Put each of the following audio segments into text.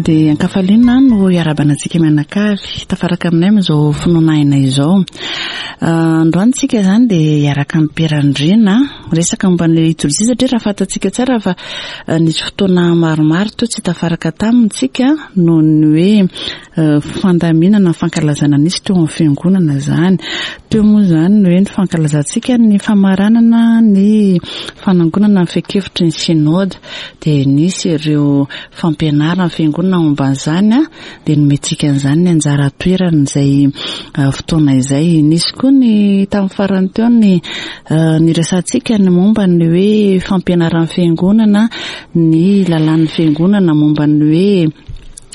Dia ankafaliana no iarahabana antsika mianakavy tafaraka aminay amin'izao finoana aina izao. Androany tsika izany dia hiaraka amin'ny Pierre-Andriana resaka momba ny litorjia satria raha fantatsika tsara fa nisy fotoana maromaro teo tsy tafaraka taminy tsika noho ny hoe fandaminana ny fankalazana nisy teo amin'ny fiangonana izany. Teo moa izany ny hoe ny fankalazantsika ny famaranana ny fanangonana ny fehin-kevitry ny synoda. Dia nisy ireo fampianarana ny fiangonana momba an'izany dia nomentsika an'izany ny anjara toerany izay fotoana izay. Nisy koa ny tamin'ny farany teo ny niresahantsika ny momba ny hoe fampianaran'ny fiangonana, ny lalàn'ny fiangonana momba ny hoe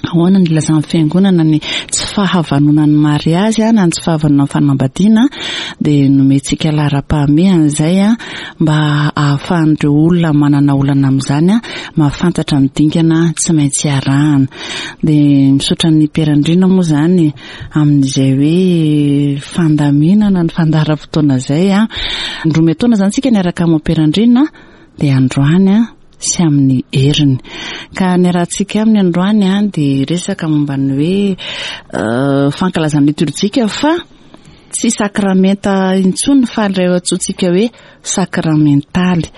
Ahoana ny ilazan'ny fiangonana ny tsy fahavanonan'ny mariazy na ny tsy fahavanonan'ny fanambadiana dia nomentsika laharam-pahamehana izay mba ahafahan'ireo olona manana olana amin'izany mahafantatra ny dingana tsy maintsy arahana. Dia misaotra an'i Pierre Andriana moa izany amin'izay hoe fandaminana ny fandaharam-potoana izay. Indroa miantaona izany isika niaraka amin'i Pierre Andriana dia androany sy amin'ny heriny. Ka ny arahantsika aminy androany dia resaka momba ny hoe fankalazana litorjika fa tsy sakramenta intsony fa ilay antsointsika hoe sakramentaly.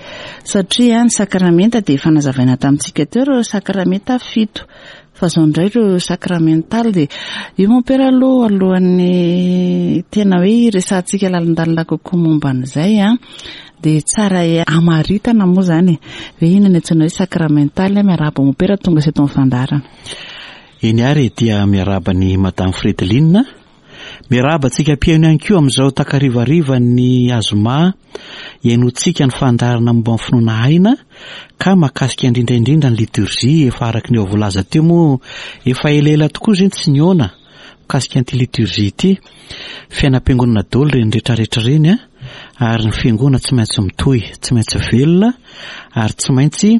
Satria ny sakramenta dia efa nazavaina tamintsika teo ireo sakramenta fito. Fa izao indray ireo sakramentaly dia io mompera aloha alohan'ny tena hoe hiresahantsika lalindalina kokoa momba an'izay an, dia tsara hamaritana moa izany e, hoe inona ny antsoina hoe sakramentaly, miarahaba mompera tonga sy eto amin'ny fandaharana. Eny ary e, dia miarahaba an'i Madame Fredeline. Miarahaba antsika mpihaino ihany koa amin'izao takarivarivan'ny azoma hihainoantsika ny fandaharana momba ny finoana aina ka mahakasika indrindra indrindra ny liturgie efa araka ny eo voalaza teo moa efa elaela tokoa izay tsy nihaona mikasika an'ity liturgie ity. Fiainam-piangonana daholo ireny rehetrarehetra ireny a ary ny fiangonana tsy maintsy mitohy, tsy maintsy velona ary tsy maintsy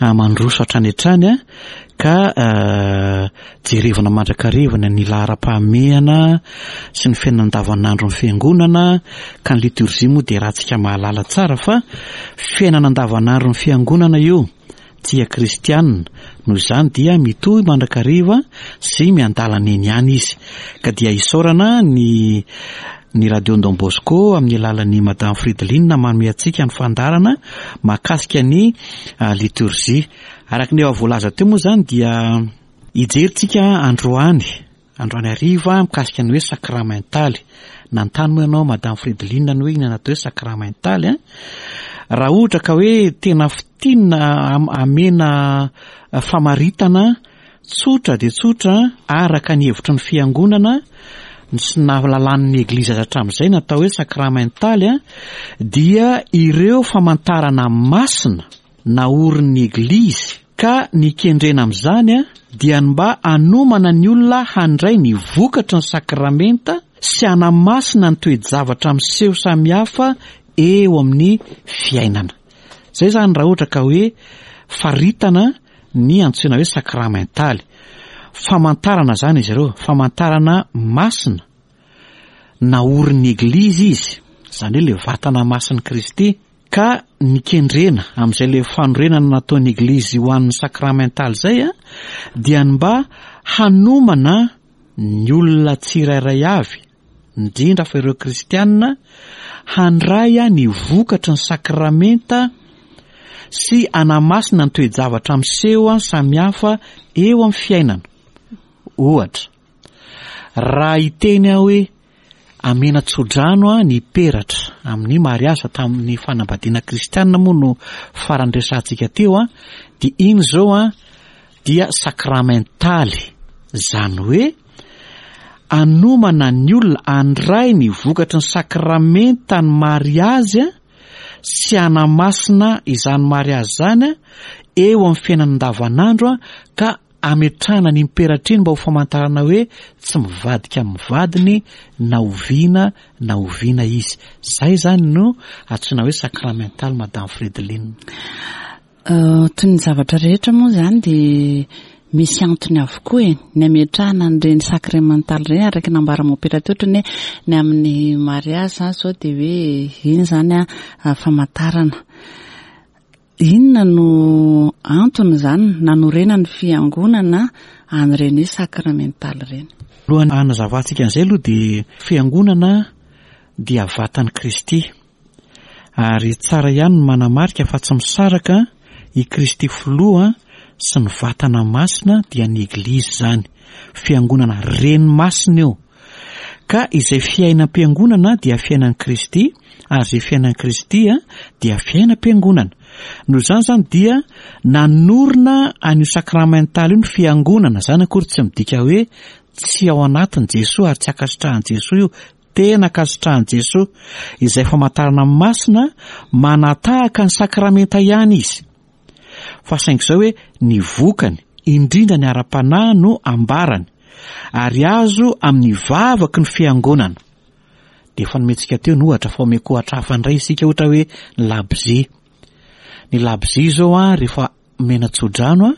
mandroso hatrany hatrany a ka jerevana mandrakariva ny laharam-pahamehana sy ny fiainana andavanandron'ny fiangonana ka ny liturgie moa dia ratsika mahalala tsara fa fiainana andavanandron'ny fiangonana io Tsia kristiana, noho izany dia mitohy mandrakariva sy miandalana eny ihany izy. Ka dia isaorana ny ny Radio Don Bosco amin'ny alalan'i Madame Frideline manome antsika ny fandaharana mahakasika ny liturgie. Araka ny efa voalaza teo moa izany dia hijery tsika androany Androany hariva mikasika ny hoe sakramentaly. Nanontany moa ianao Madame Fredeline ny hoe inona atao hoe sakramentaly an? Raha ohatra ka hoe tena fintinina amena famaritana tsotra dia tsotra araka ny hevitry ny fiangonana sy ny nahalalan'ny Eglizy azy hatramin'izay ny atao hoe sakramentaly an, dia ireo famantarana masina naorin'ny Eglizy, ka ny kendrena amin'izany dia ny mba hanomana ny olona handray ny vokatry ny sakramenta sy hanamasina ny toe-javatra miseho samihafa eo amin'ny fiainana. Izay izany raha ohatra ka hoe faritana ny antsoina hoe sakramentaly. Famantarana izany izy ireo, famantarana masina naorin'ny Eglizy izy, izany hoe ilay vatana masin'i Kristy. Ka ny kendrena amin'izay ilay fanorenana nataon'ny Eglizy ho an'ny sakramentaly izay dia ny mba hanomana ny olona tsirairay avy, indrindra fa ireo kristiana, handray ny vokatry ny sakramenta sy hanamasina ny toe-javatra miseho samihafa eo amin'ny fiainana. Ohatra, raha hiteny aho hoe Amena tsodrano ny peratra amin'ny mariazy fa tamin'ny fanambadiana kristianina moa no farany resahantsika teo an, dia iny izao an dia sakramentaly, izany hoe anomana ny olona handray ny vokatry ny sakramentan'ny mariazy sy hanamasina izany mariazy izany eo amin'ny fiainana andavanandro ka Ametrahana ny imperatry mba ho famantarana hoe tsy mivadika amin'ny vadiny na oviana na oviana izy. Zay zany no antsoina hoe sacramental Madame Fredeline. Toy ny zavatra rehetra moa izany dia misy antony avokoa e, ny ametrahana an'ireny sacramental ireny araka ny nambaran'i Mompera teo ohatran'ny hoe ny amin'ny mariazy izany izao dia hoe iny izany famantarana. Inona no antony izany nanorenan'ny Fiangonana an'ireny hoe sakramentaly ireny. Alohan'ny hanazavantsika an'izay aloha dia fiangonana dia vatan'i Kristy. Ary tsara ihany ny manamarika fa tsy misaraka i Kristy Filoha sy ny vatana masina dia ny Eglizy izany. Fiangonana Reny masina io. Ka izay fiainam-piangonana dia fiainan'i Kristy ary izay fiainan'i Kristy dia fiainam-piangonana. Noho izany izany dia nanorina an'io sakramentaly io ny fiangonana. Izany akory tsy midika hoe tsy ao anatin'i Jesoa ary tsy ankasitrahan'i Jesoa io. Tena ankasitrahan'i Jesoa izay famantarana masina manatahaka ny sakramenta ihany izy. Fa saingy izao hoe ny vokany, indrindra ny ara-panahy no ambarany, ary azo amin'ny vavaky ny fiangonana. Dia efa nomentsika teo ny ohatra fa omeko ohatra hafa indray isika ohatra hoe ny labozia. Ny labozia izao an, rehefa omena tsodrano an,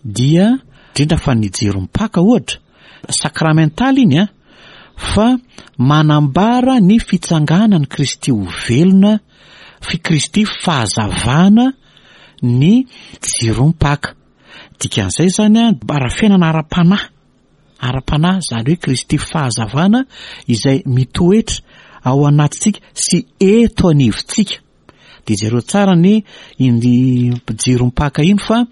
dia indrindra fa ny jiro mipaka ohatra, sakramentaly iny an, fa manambara ny fitsanganan'i Kristy ho velona, fi Kristy fahazavana ny jirom-paka. Dikan'izay izany an, ara fiainana ara-panahy, ara-panahy, izany hoe Kristy fahazavana izay mitoetra ao anatintsika sy eto anivontsika. Dia jereo tsara ny iny jirom-paka iny fa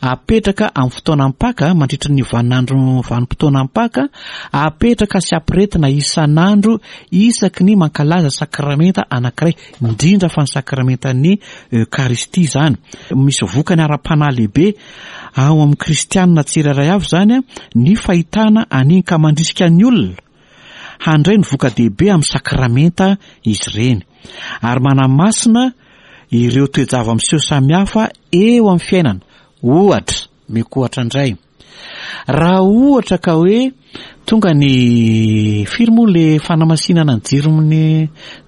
apetraka amin'ny fotoanam-paka mandritra ny vaninandro vanim-potoanam-paka, apetraka sy ampiretina isan'andro isaky ny mankalaza sakramenta anankiray, indrindra fa ny sakramentan'ny Eokaristia izany. Misy vokany ara-panahy lehibe ao amin'ny kristianina tsirairay avy izany ny fahitana an'iny ka mandrisika ny olona Handray ny voka-dehibe amin'ny sakramenta izy ireny, ary manamasina ireo toe-java-miseho samihafa eo amin'ny fiainana. Ohatra, omeko ohatra indray, raha ohatra ka hoe tonga ny firy moa le fanamasinana ny jiron'ny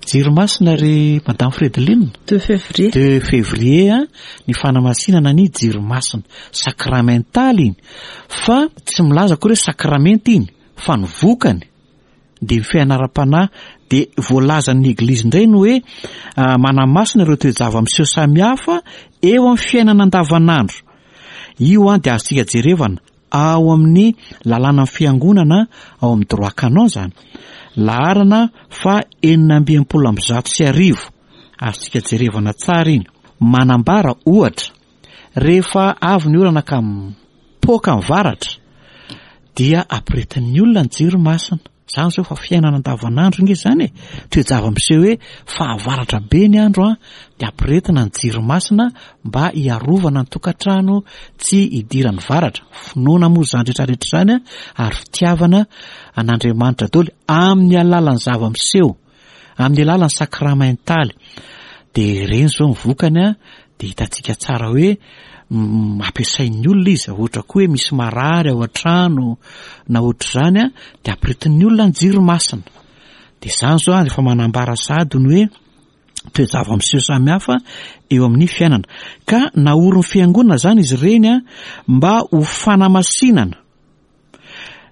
jiro masina ry Madame Fredeline? 2 février. 2 février ny fanamasinana ny jiro masina. Sakramentaly iny. Fa tsy milaza akory hoe sakramenta iny. Fa ny vokany dia ny fianaram-panahy dia voalazan'ny Eglizy indray ny hoe manamasina ireo toe-java-miseho samihafa eo amin'ny fiainana andavanandro. Io dia azontsika jerevana ao amin'ny lalànan'ny fiangonana ao amin'ny droit canon izany. Laharana faha 1166. Azontsika jerevana tsara iny. Manambara ohatra Rehefa avy ny orana ka mipoaka ny varatra dia ampiretin'ny olona ny jiro masina. Izany izao fa fiainana andavanandro nge izany e. Toe-java-miseho hoe fahavaratra be ny andro an, dia ampiretina ny jiro masina mba hiarovana ny tokantrano tsy hidiran'ny varatra. Finoana moa izany rehetra rehetra izany an, ary fitiavana an'Andriamanitra daholo amin'ny alalan'ny zava-miseho. Amin'ny alalan'ny sakramentaly. Dia ireny izao ny vokany an, dia hitantsika tsara hoe ampiasain'ny olona izy, ohatra koa hoe misy marary ao an-trano na ohatr'izany an, dia ampiritin'ny olona ny jiro masina. Dia izany izao an, efa manambara sahady ny hoe toe-java-miseho samihafa eo amin'ny fiainana. Ka naorin'ny fiangonana izany izy ireny an, mba ho fanamasinana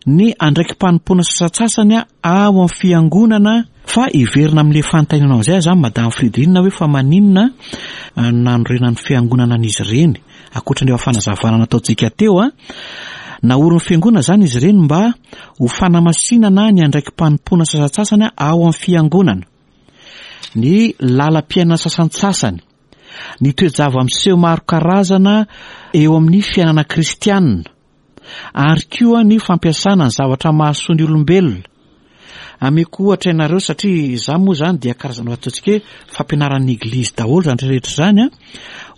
ny andraiki-panompoana sasantsasany ao amin'ny fiangonana fa hiverina amin'ilay fanontanianao amin'izay aho izany Madame Fridrine hoe fa maninona nanorenan'ny fiangonana an'izy ireny ankoatra ny efa fanazavana nataontsika teo a naorin'ny fiangonana izany izy ireny mba ho fanamasinana ny andraiki-panompoana sasantsasany ao amin'ny fiangonana ny lalam-piainana sasantsasany ny toe-java-miseho maro karazana eo amin'ny fiainana kristianina ary koa ny fampiasana ny zavatra mahasoa ny olombelona. Ameko ohatra ianareo satria izaho moa izany dia karazana ataontsika hoe fampianaran'ny eglizy daholo izany rehetra izany an.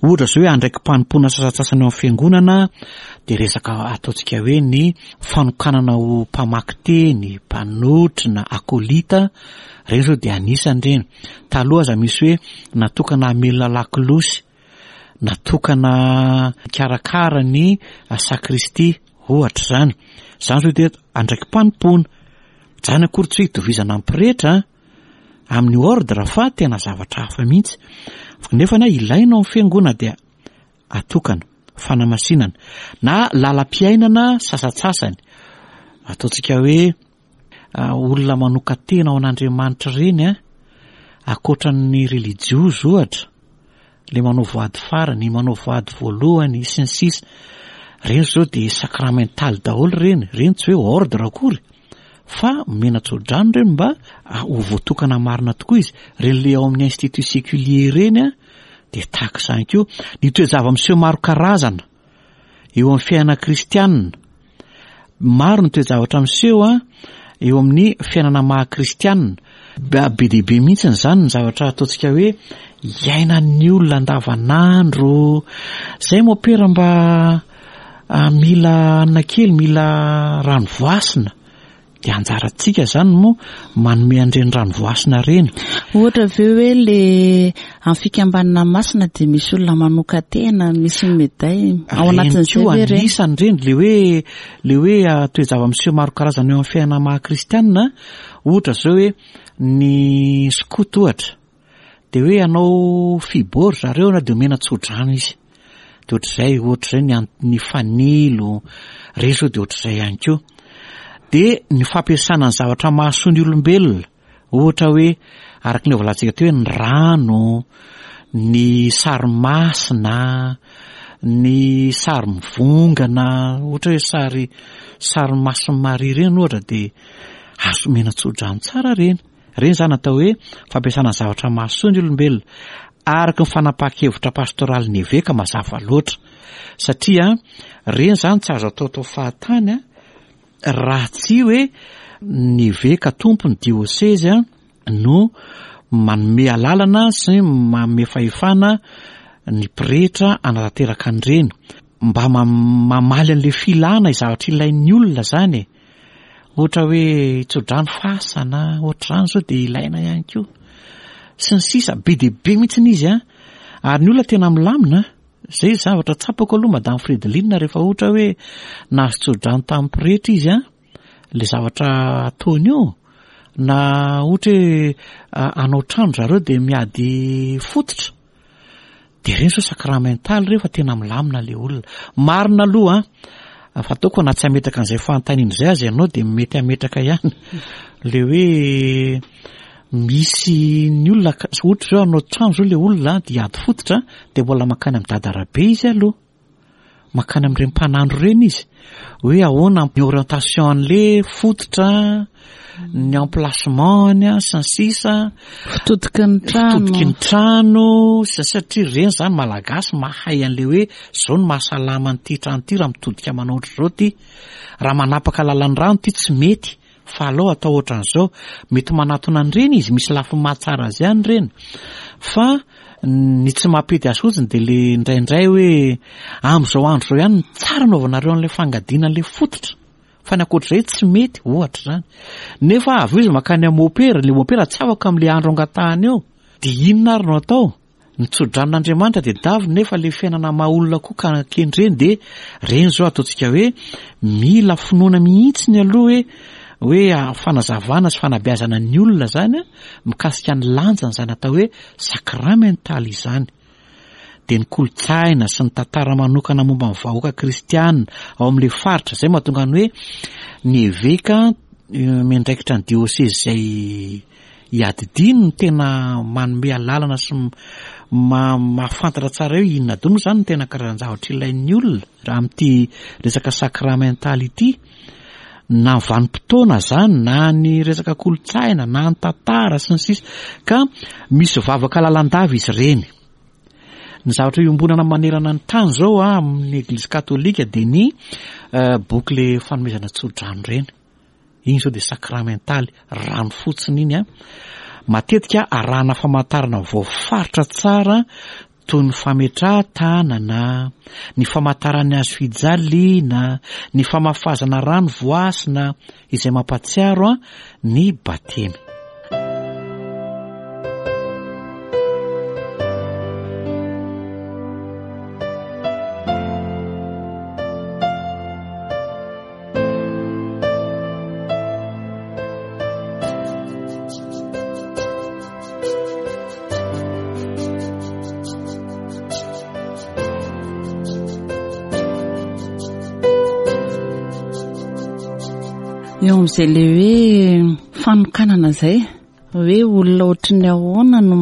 Ohatra izao hoe andraiki-panompoana sasantsasany ao amin'ny fiangonana dia resaka ataontsika hoe ny fanokanana ho mpamaky teny, mpanotrona, akolita, ireny izao dia anisany ireny. Taloha aza misy hoe natokana hamelona lakolosy. natokana hikarakara ny sakristia ohatra izany. Izany izao dia andraiki-panompoana. Izany akory tsy hoe itovizana amin'ny pretra amin'ny ordre fa tena zavatra hafa mihitsy. Nefa na ilaina ao amin'ny fiangonana dia atokana, fanamasinana na lalam-piainana sasantsasany. Ataontsika hoe olona manokan-tena ho an'Andriamanitra ireny an, ankoatra ny relijiozy ohatra, le manao voady farany, manao voady voalohany, sy ny sisa. Ireny izao dia sacramental daholo ireny, ireny tsy hoe ordre akory fa omena tsodrano ireny mba ho voatokana marina tokoa izy. Ireny le ao amin'ny institut séculier ireny an, dia tahaka izany koa. Ny toe-java-miseho maro karazana eo amin'ny fiainana kristianina. Maro ny toe-javatra miseho eo amin'ny fiainana maha kristianina. Be dia be mihitsy izany ny zavatra ataontsika hoe iainan'ny olona andavanandro. Izay mopera mba mila hanina kely, mila rano voasina. Dia anjarantsika izany no manome an'ireny rano voasina ireny. Ohatra ve hoe le amin'ny fikambanana masina dia misy olona manokan-tena, misy meday ao anatin'izay ve ireny? Anisany ireny, le hoe le hoe ah, toe-java-miseho maro karazana eo amin'ny fiainana maha kristianina, ohatra izao hoe ny skoto ohatra, Dia hoe hanao fibo ry zareo na dia omena tsodrano izy. Dia ohatr'izay, ohatr'izay ny ny fanilo, ireny izao dia ohatr'izay ihany koa. Dia ny fampiasana ny zavatra mahasoa ny olombelona, ohatra hoe araka ny voalazantsika teo hoe ny rano, ny sary masina, ny sary mivongana, ohatra hoe sary sary masin'i Maria ireny ohatra dia azo omena tsodrano tsara ireny. Ireny izany atao hoe fampiasana ny zavatra mahasoa ny olombelona, araka ny fanapahan-kevitra pastoralin'ny eveka mazava loatra. Satria ireny izany tsy azo ataotao fahatany raha tsy hoe ny eveka tompon'ny diosezy no manome alalana sy manome fahefana ny pretra hanatanteraka an'ireny. Mba mamaly an'ilay filana zavatra ilain'ny olona izany e. Ohatra hoe tsodrano fasana, ohatr'izany zao dia ilaina ihany koa. Sy ny sisa, be dia be mihitsy izy an. Ary ny olona tena milamina, zay zavatra tsapako aloha Madame Fredeline rehefa ohatra hoe nahazo tsodrano tamin'ny pretra izy an, le zavatra ataony io, na ohatra hoe hanao trano zareo dia miady fototra, Dia ireny zao sacramental ireny fa tena milamina le olona. Marina aloha an, fa ataoko na tsy hametraka an'izay fanontaniana izay aza ianao dia mety hametraka ihany. Le hoe misy ny olona ohatra zao hanao trano zao le olona dia hiady fototra dia mbola mankany amin'i Dada Rabe izy aloha. Mankany amin'ireny mpanandro ireny izy hoe ahoana ny orientation an'le fototra, ny emplacement-ny sy ny sisa. Fitodiky ny trano. Fitodiky ny trano sy ny sisa satria ireny izany malagasy mahay an'le hoe izao no mahasalama an'ity trano ity raha mitodika manao ohatr'izao ity. Raha manapaka lalan'ny rano ity tsy mety. Fa alao atao ohatran'izao, mety manatona an'ireny izy, misy lafiny mahatsara azy ihany ireny, fa ny tsy mampety azy fotsiny dia le indraindray hoe amin'izao andro izao ihany no tsara anaovanareo an'ilay fangadiana an'ilay fototra, fa ny ankoatr'izay tsy mety, ohatra izany. Nefa avy eo izy mankany amin'ny mopera, ilay mopera tsy afaka amin'ilay andro angatahany eo, dia inona ary no atao? Ny tso-dranon'Andriamanitra dia daviny nefa le fiainana maha olona koa ka kendreny dia reny zao ataontsika hoe mila finoana mihitsy ny aloha hoe hoe fanazavana sy fanabeazana ny olona zany mikasika ny lanjany izany atao hoe sakramentaly izany dia ny kolontsaina sy ny tantara manokana momba ny vahoaka kristiana ao amin'ilay faritra izay mahatonga ny hoe ny eveka eh, miandraikitra ny diosezy izay Iadidiany no tena manome alalana sy mahafantatra tsara hoe inona daholo moa izany no tena karazan-javatra ilain'ny olona raha amin'ity resaka sakramentaly ity, na ny vanim-potoana izany, na ny resaka kolontsaina, na ny tantara sy ny sisa Ka misy vavaka lalandava izy ireny. Ny zavatra iombonana manerana ny tany izao amin'ny Eglizy katolika dia ny eh, boky le fanomezana tsodrano ireny. Iny izao dia sakramentaly, rano fotsiny iny an. Matetika arahana famantarana voafaritra tsara toy ny fametrahan-tanana, ny famantaran'ny hazo fijaliana, ny famafazana rano voasina izay mampahatsiaro ny batemy. Eo amin'izay le hoe fanokanana izay, hoe olona ohatry ny ahoana no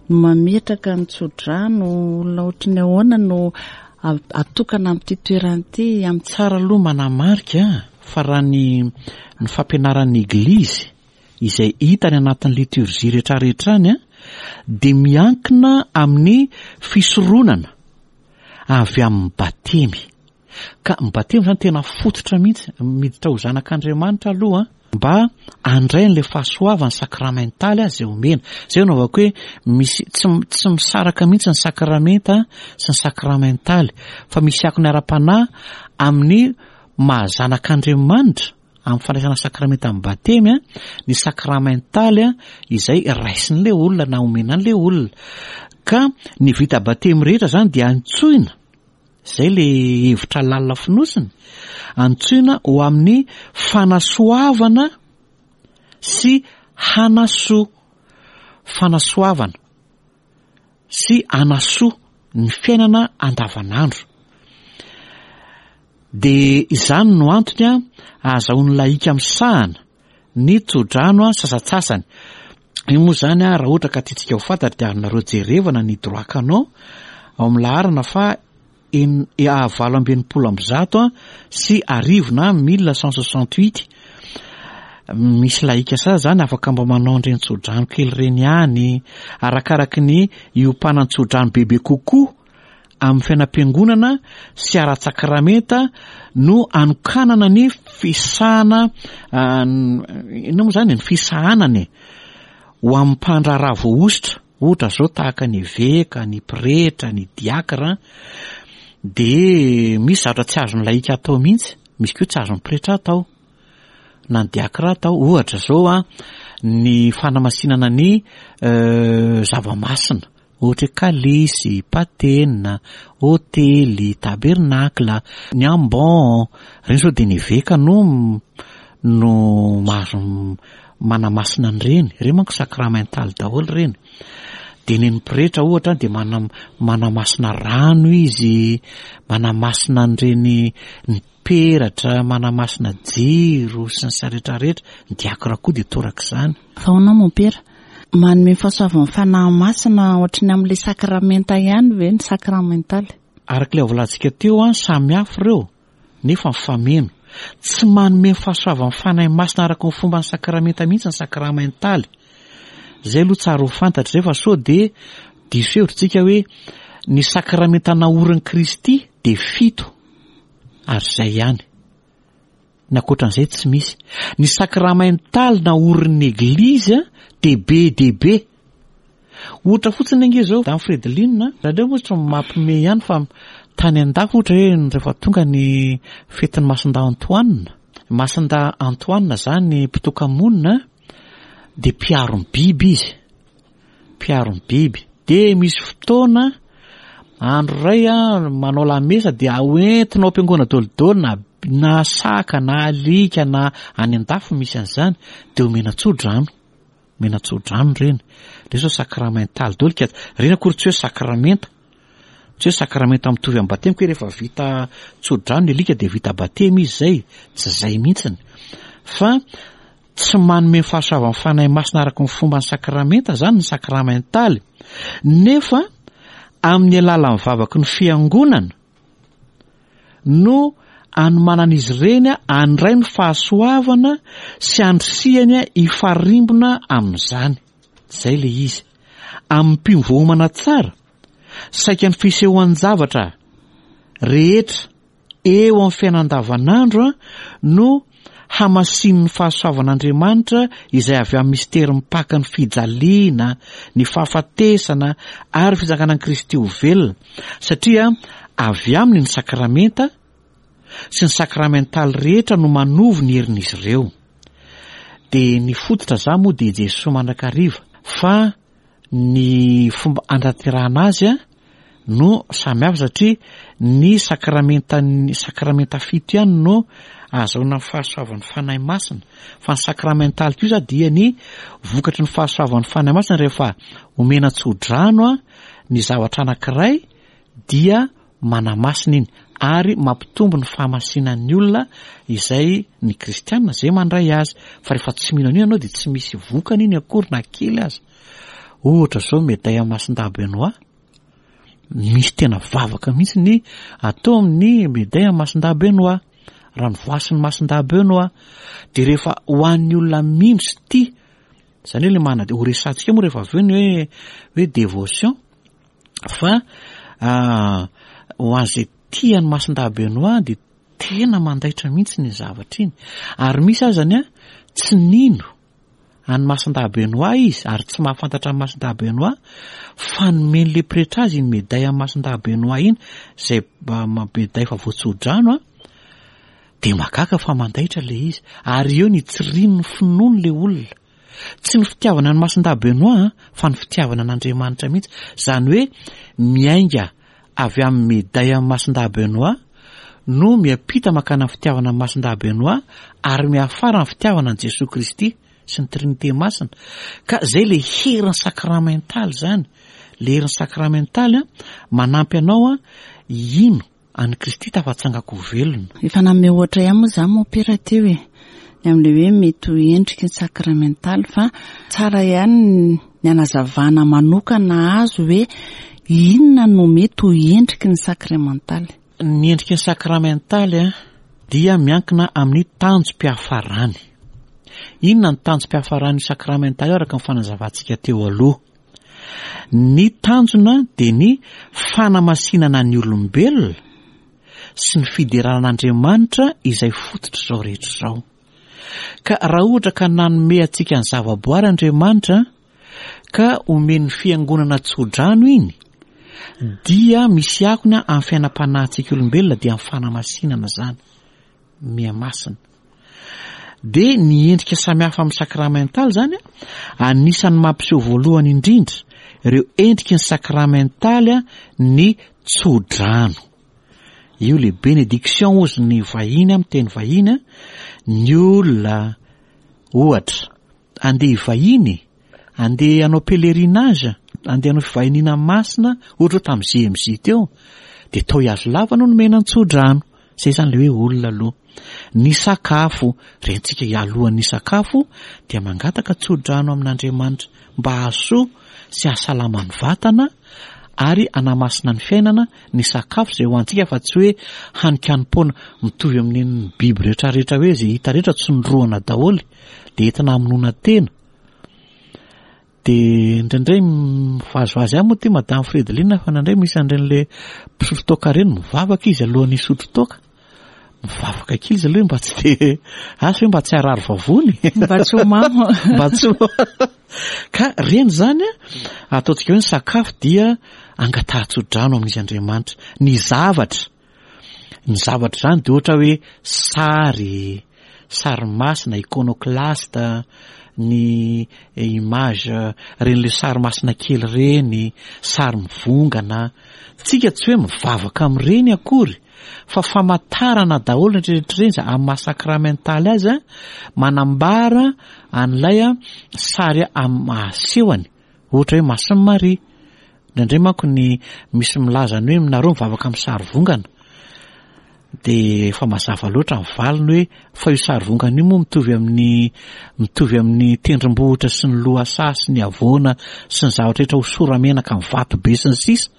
mametraka ny tsodrano, olona ohatry ny ahoana no. atokana amin'ity toerana ity amin'ny. Tsara aloha manamarika fa raha ny ny fampianaran'ny Eglizy izay hita any anatin'ny liturgie rehetrarehetra any dia miankina amin'ny fisoronana avy amin'ny batemy. Ka ny batemy izany tena fototra mihitsy, miditra ho zanak'Andriamanitra aloha mba handray an'ilay fahasoavana sakramentaly izay omena. Izay no anaovako hoe misy tsy tsy misaraka mihitsy ny sakramenta sy ny sakramentaly fa misy akony ara-panahy amin'ny maha zanak'Andriamanitra amin'ny fandraisana sakramenta amin'ny batemy ny sakramentaly izay raisin'ilay olona na omena an'ilay olona. Ka ny vita batemy rehetra izany dia antsoina Izay le hevitra lalina fonosiny, antsoina ho amin'ny fanasoavana sy hanasoa. Fanasoavana sy hanasoa ny fiainana andavanandro. Dia izany no antony ahazahoan'ny lahika misahana ny tsodrano sasantsasany. Io moa izany raha ohatra ka tiantsika ho fantatra dia azonareo jerevana ny droit canon ao amin'ny laharana faha 1168 na 1168. Misy lahika sasany izany afaka mba manao an'ireny tsodrano kely ireny ihany, arakaraky ny hiompanan'ny tsodrano bebe kokoa amin'ny fiainam-piangonana sy ara-tsakramenta no anokanana ny fisahana inona moa izany e, ny fisahanana e, ho amin'ny mpandraharaha voahosotra, ohatra izao tahaka ny eveka, ny pretra, ny diakra, dia misy zavatra tsy azon'ny lahika atao mihitsy, misy koa tsy azon'ny pretra atao na ny diakra atao, ohatra izao an, ny fanamasinana ny zava-masina. Ohatra hoe kalesy, patena, hotely, tabernakla, ny ambon, ireny zao dia ny eveka no no mahazo manamasina an'ireny, ireny manko sakramentaly daholo ireny. Dia ny an'ny pretra ohatra dia mana- manamasina rano izy, manamasina an'ireny ny peratra, manamasina jiro sy ny sisa rehetra rehetra, ny diakra koa dia torak'izany. Fa hono mompera, manome fahasoavan'ny Fanahy Masina ohatry ny amin'ilay sakramenta ihany ve ny sakramentaly? Araka ilay voalantsika teo an, samy hafa ireo nefa mifameno. Tsy manome ny fahasoavan'ny Fanahy Masina araka ny fomban'ny sakramenta mihitsy ny sakramentaly. Izay aloha tsara ho fantatra izay fa sao dia diso hevitra tsika hoe ny sakramenta naorin'i Kristy dia fito. Ary izay ihany. Ny ankoatran'izay tsy misy. Ny sakramentaly naorin'ny Eglizy dia be dia be. Ohatra fotsiny ange izao, Dame Fredeline, aleo moa tsy mampime ihany fa tany an-dafy ohatra hoe rehefa tonga ny fetin'ny Masindahy Antoine, Masindahy Antoine izany mpitoka-monina dia mpiaro ny biby izy. mpiaro ny biby. Dia misy fotoana, andro iray an, manao lamesa dia hoentina ao am-piangonana daholo na na saka na alika na any an-dafy misy an'izany dia omena tso-drano. Omena tso-drano ireny. Ireny izao sakramentaly daholo ka ireny akory tsy hoe sakramenta. Tsy hoe sakramenta mitovy amin'ny batemy koa rehefa vita tso-drano ny alika dia vita batemy izy izay. Tsy izay mihitsiny. Fa Tsy manome ny fahasoavan'ny Fanahy Masina araka ny fomban'ny sakramenta izany ny sakramentaly, nefa amin'ny alalan'ny vavaky ny Fiangonana no anomanan'izy ireny handray ny fahasoavana sy handrisihany hifarimbona amin'izany. Izay ilay izy. Amin'ny mpino voaomana tsara, saika ny fisehoan-javatra rehetra eo amin'ny fiainana andavanandro no hamasinin'ny fahasoavan'Andriamanitra izay avy amin'ny mistery mipaka ny fijaliana, ny fahafatesana ary ny fitsanganan'i Kristy ho velona, satria avy aminy ny sakramenta sy ny sakramentaly rehetra no manovo ny herin'izy ireo. Dia ny fototra za moa dia Jesoa mandrakariva fa ny fomba anaterahana azy no samy hafa satria ny sakramentan'ny sakramenta fito ihany no ahazahoana ny fahasoavan'ny Fanahy Masina fa ny sakramentaly kosa dia ny vokatry ny fahasoavan'ny Fanahy Masina rehefa omena tsodrano ny zavatra anankiray dia manamasina iny ary mampitombo ny fahamasinan'ny olona izay ny kristiana izay mandray azy fa rehefa tsy mino an'io ianao dia tsy misy vokany iny akory na kely aza. Ohatra izao medaille Masindahy Benoît. Misy tena vavaka mihitsy ny atao amin'ny médaille an'i Masindahy Benoît, ranovoasin'i Masindahy Benoît. Dia rehefa ho an'ny olona mino sy tia, izany hoe ilay manana, ho resahantsika moa rehefa avy eo ny hoe hoe dévotion, fa ho an'izay tia an'i Masindahy Benoît dia tena mandaitra mihitsy ny zavatra iny. Ary misy azany tsy nino an'i Masindahy Benoît izy ary tsy mahafantatra an'i Masindahy Benoît fa nomen'ilay pretra azy iny médaille an'i Masindahy Benoît iny izay médaille efa voatsodrano an, dia mahagaga fa mandaitra ilay izy ary eo ny tsirian'ny finoany ilay olona. Tsy ny fitiavana an'i Masindahy Benoît an, fa ny fitiavana an'Andriamanitra mihitsy. Izany hoe miainga avy amin'ny médaille an'i Masindahy Benoît no miampita mankany amin'ny fitiavana an'i Masindahy Benoît ary miafara amin'ny fitiavana an'i Jesoa Kristy sy ny Trinite Masina. Ka izay ilay herin'ny sakramentaly izany. Ilay herin'ny sakramentaly manampy anao hino An'i Kristy tafatsangako ho velona. Efa nanome ohatra ihany moa za mompera teo e, ny amin'ilay hoe mety ho endriky ny sakramentaly fa tsara ihany ny hanazavana manokana azy hoe inona no mety ho endriky ny sakramentaly. Ny endriky ny sakramentaly dia miankina amin'ny tanjom-piafarany. Inona ny tanjom-piafaran'io sakramentaly io araka ny fanazavantsika teo aloha? Ny tanjona dia ny fanamasinana ny olombelona sy ny fiderana an'Andriamanitra izay fototr'izao rehetra izao. Ka raha ohatra ka nanome antsika ny zavaboary Andriamanitra ka omen'ny fiangonana tsodrano iny dia misy akony amin'ny fiainam-panahintsika olombelona dia amin'ny fanamasinana izany. Mihamasina. Dia ny endrika samihafa amin'ny sakramentaly izany, anisan'ny mampiseho voalohany indrindra ireo endriky ny sakramentaly ny tsodrano. Io le bénédiction hozy ny vahiny amin'ny teny vahiny, ny olona ohatra andeha hivahiny, andeha hanao pèlerinage, andeha hanao fivahiniana masina, ohatra hoe tamin'ny JMJ teo, dia tao Ihazolava no nomena ny tsodrano. Zay zany le hoe olona aloha. Ny sakafo, rentsika alohan'ny sakafo dia mangataka tsodrano amin'Andriamanitra mba hahasoa sy hahasalama ny vatana ary hanamasina ny fiainana ny sakafo izay hohanintsika fa tsy hoe haninkanim-poana mitovy amin'ny biby rehetra rehetra hoe izay hita rehetra tsindrohana daholo dia entina hamonoana tena. Dia indraindray mivazivazy ihany moa ity Madame Fredeline fa indraindray misy an'ireny le mpisotro toaka ireny mivavaka izy alohan'ny hisotro toaka. Mivavaka kely izy aloha mba tsy dia asa hoe mba tsy harary vavony. Mba tsy ho mamo. Mba tsy ho Ka ireny izany ataontsika hoe ny sakafo dia angatahan-tsodrano amin'izy Andriamanitra. Ny zavatra Ny zavatra izany dia ohatra hoe sary, sary masina, iconoclaste, ny image, ireny le sary masina kely ireny, sary mivongana. Tsika tsy hoe mivavaka amin'ireny akory fa famantarana daholo ny rehetra ireny izay amin'ny maha sakramentaly azy, manambara an'ilay sary amin'ny asehony. Ohatra hoe Masin'i Maria. Indraindray manko ny misy milaza ny hoe nareo mivavaka amin'ny sary vongana. Dia efa mazava loatra ny valiny hoe fa io sary vongana io moa mitovy amin'ny mitovy amin'ny tendrombohitra sy ny lohasaha sy ny havoana sy ny zavatra rehetra hosora-menaka amin'ny vato be sy ny sisa.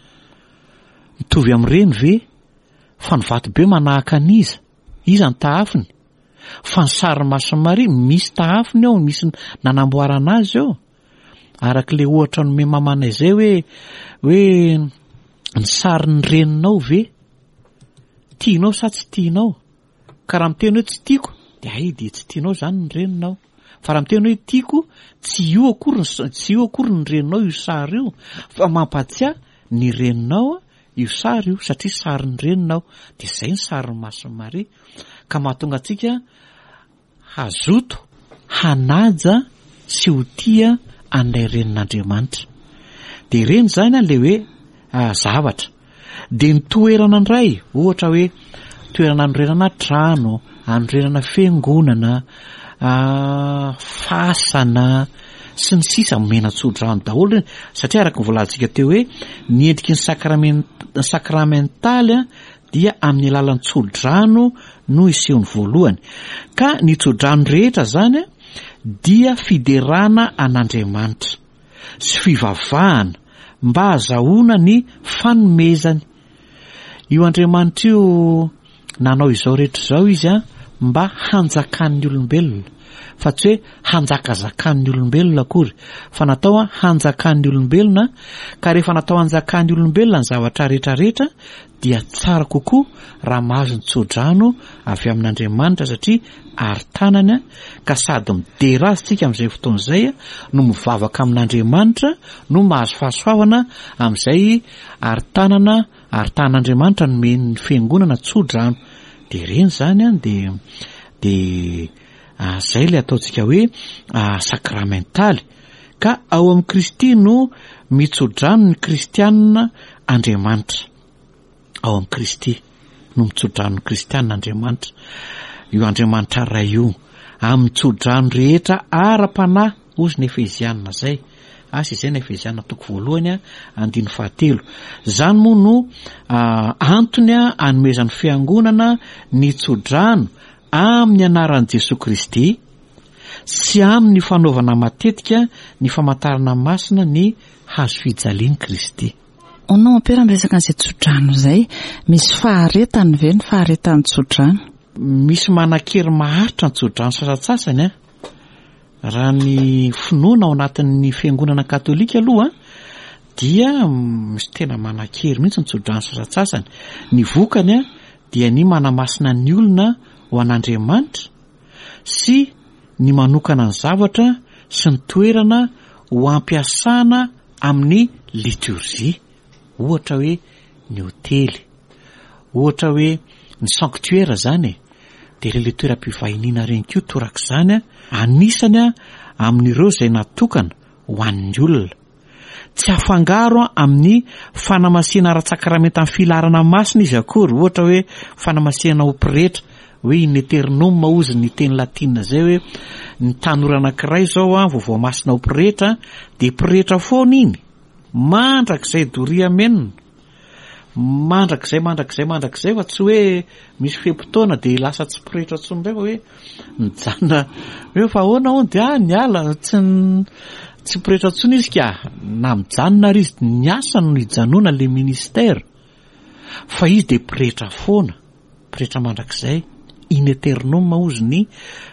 Mitovy amin'ireny ve? Fa ny vato be manahaka an'iza? Iza ny tahafiny? Fa ny sarin'i Masin'i Maria misy tahafiny ao, misy nanamboarana azy eo. Araka ilay ohatra nomen'i mamanay izay hoe hoe ny sarin'ny reninao ve tianao sa tsy tianao? Ka raha miteny hoe tsy tiako dia hay dia tsy tianao izany ny reninao. Fa raha miteny hoe tiako, tsy io akory ny tsy io akory ny reninao io sary io fa mampatsiahy ny reninao io sary io satria sarin'ny reninao. Dia izay ny sarin'i Masin'i Maria. Ka mahatonga antsika Hazoto hanaja sy ho tia an'ilay renin'Andriamanitra. Dia ireny izany an, ilay hoe zavatra. Dia ny toerana indray, ohatra hoe toerana anorenana trano, anorenana fiangonana, fasana, sy ny sisa, omena tsodrano daholo ireny. Satria araka ny voalazantsika teo hoe ny endriky ny sakramen- sakramentaly an, dia amin'ny alalan'ny tsodrano no isehony voalohany. Ka ny tsodrano rehetra zany dia fiderana an'Andriamanitra sy fivavahana, mba hahazahoana ny fanomezany. Io Andriamanitra io nanao izao rehetra izao izy mba hanjakan'ny olombelona, fa tsy hoe hanjakazakan'ny olombelona akory, fa natao hanjakan'ny olombelona, ka rehefa natao hanjakan'ny olombelona ny zavatra rehetra rehetra dia tsara kokoa raha mahazo ny tsodrano avy amin'Andriamanitra satria ary tanany ka sady midera azy tsika amin'izay fotoana izay no mivavaka amin'Andriamanitra no mahazo fahasoavana amin'izay ary tanana ary tanan'Andriamanitra nomen'ny fiangonana tsodrano dia ireny izany an dia dia izay ilay ataontsika hoe sakramentaly ka ao amin'i Kristy no mitsodrano ny kristianina Andriamanitra ao amin'i Kristy no mitsodrano ny kristianina Andriamanitra io Andriamanitra Ray io amin'ny tsodrano rehetra ara-panahy hozy ny Efezianina izay asa izay ny Efezianina toko voalohany andininy fahatelo izany moa no antony anomezan'ny fiangonana ny tsodrano amin'ny anaran'i Jesoa Kristy sy amin'ny fanaovana matetika ny famantarana masina ny hazo fijalian'i Kristy. Hono mompera miresaka an'izay tsodrano izay, misy faharetany ve ny faharetan'ny tsodrano? Misy manan-kery maharitra ny tsodrano sasantsasany an! Raha ny finoana ao anatin'ny fiangonana katolika aloha dia misy tena manan-kery mihitsy ny tsodrano sasantsasany. Ny vokany dia ny manamasina ny olona ho an'Andriamanitra sy ny manokana ny zavatra sy ny toerana ho ampiasana amin'ny liturgie, ohatra hoe ny hotely, ohatra hoe ny sanctuaire izany e, dia ireny le toeram-pivahiniana ireny koa torak'izany an, anisany amin'ireo izay natokana ho an'ny olona. Tsy afangaro amin'ny fanamasihana ara-tsakramentan'ny filaharana masina izy akory, ohatra hoe fanamasihana ho pretra, hoe in aeternum hozy ny teny latina izay hoe ny tanora anankiray izao an, vao voamasina ho pretra dia pretra foana iny, mandrakizay doria amenina. Mandrakizay mandrakizay mandrakizay fa tsy hoe misy fe-potoana dia lasa tsy pretra intsony indray fa hoe mijanona hoe fa ahoana hono dia ah niala tsy tsy pretra intsony izy ka na mijanona ary izy ny asany no hijanona le ministère fa izy dia pretra foana. Pretra mandrakizay, in aeternum hozy ny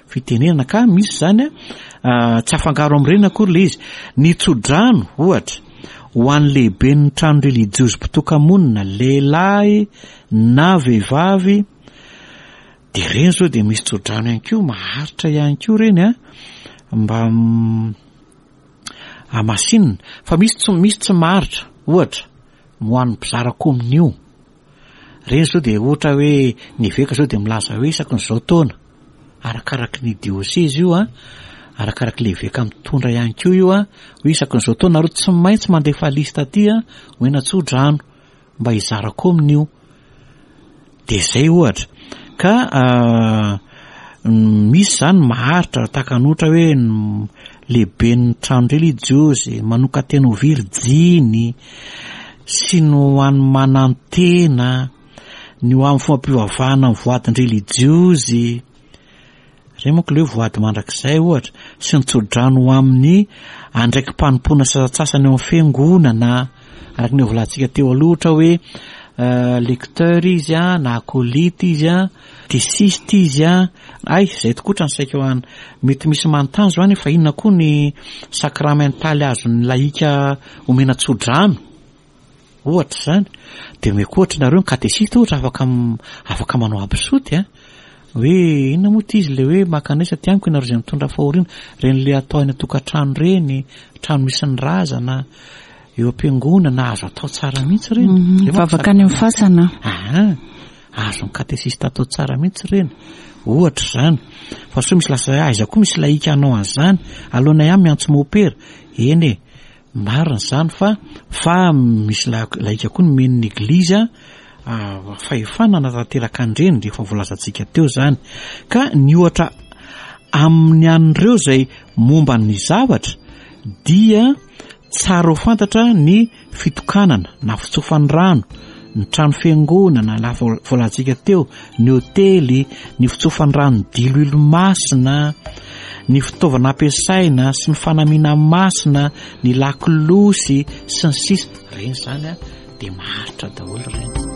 fitenenana ka misy izany a, tsy afangaro amin'ireny akory ilay izy. Ny tsodrano, ohatra, ho an'ny lehiben'ny trano relijiozy mpitoka-monina, lehilahy na vehivavy, dia ireny izao dia misy tsodrano ihany koa, maharitra ihany koa ireny a, mba hamasinina. Fa misy tsy, misy tsy maharitra, ohatra, ho an'ny mpizara kominio. Ireny izao dia ohatra hoe ny eveka izao dia milaza hoe isaky ny izao taona, arakaraky ny diosezy io an, arakaraky ilay eveka mitondra ihany koa io an, hoe isaky ny izao taona nareo tsy maintsy mandefa liste aty an, omena tso-drano mba hizara kaomina io. Dia izay ohatra. Ka misy izany maharitra tahaka ny ohatra hoe ny lehiben'ny trano relijiozy, manokan-tena ho virijiny, sy ny ho an'ny manantena, ny ho amin'ny fombam-pivavahana amin'ny voadin-drelijiozy, ireny manko ilay hoe voady mandrakizay ohatra, sy ny tsodrano ho amin'ny andraiki-panompoana sasantsasany ao amin'ny fiangonana, araka ny voalazatsika teo aloha ohatra hoe lecteur izy an, na acolyte izy an, tesiste izy an, hay izay tokoa ohatran'ny saika ho an, mety misy manontany izao any fa inona koa ny sakramentaly azon'ny lahika omena tsodrano ohatra izany, dia omeko ohatra nareo ny katesista ohatra afaka afaka manao absoty an, hoe inona moa ity izy ilay hoe mankanesa aty amiko ianareo izay mitondra fahoriana, ireny ilay atao any an-tokantrano ireny, trano misy ny razana, eo am-piangonana, azo atao tsara mihitsy ireny. Mivavaka any amin'ny fasana. Aha, azon'ny katesista atao tsara mihitsy ireny, ohatra izany. Fa sao misy lasa aiza koa misy lahika hanao an'izany, aleonay ihany miantso mopera, eny e. Marina izany fa fa misy laika koa nomen'ny Eglizy fahefana hanatanteraka an'ireny rehefa voalazantsika teo izany. Ka ny ohatra amin'ny an'ireo izay momba ny zavatra dia tsara ho fantatra ny fitokanana na fitsofan'ny rano, ny trano fiangonana na voalazantsika teo, ny hotely, ny fitsofan'ny rano diloilo masina, Ny fitaovana ampiasaina sy ny fanamiana masina, ny lakolosy sy ny sisa, ireny izany dia maharitra daholo ireny.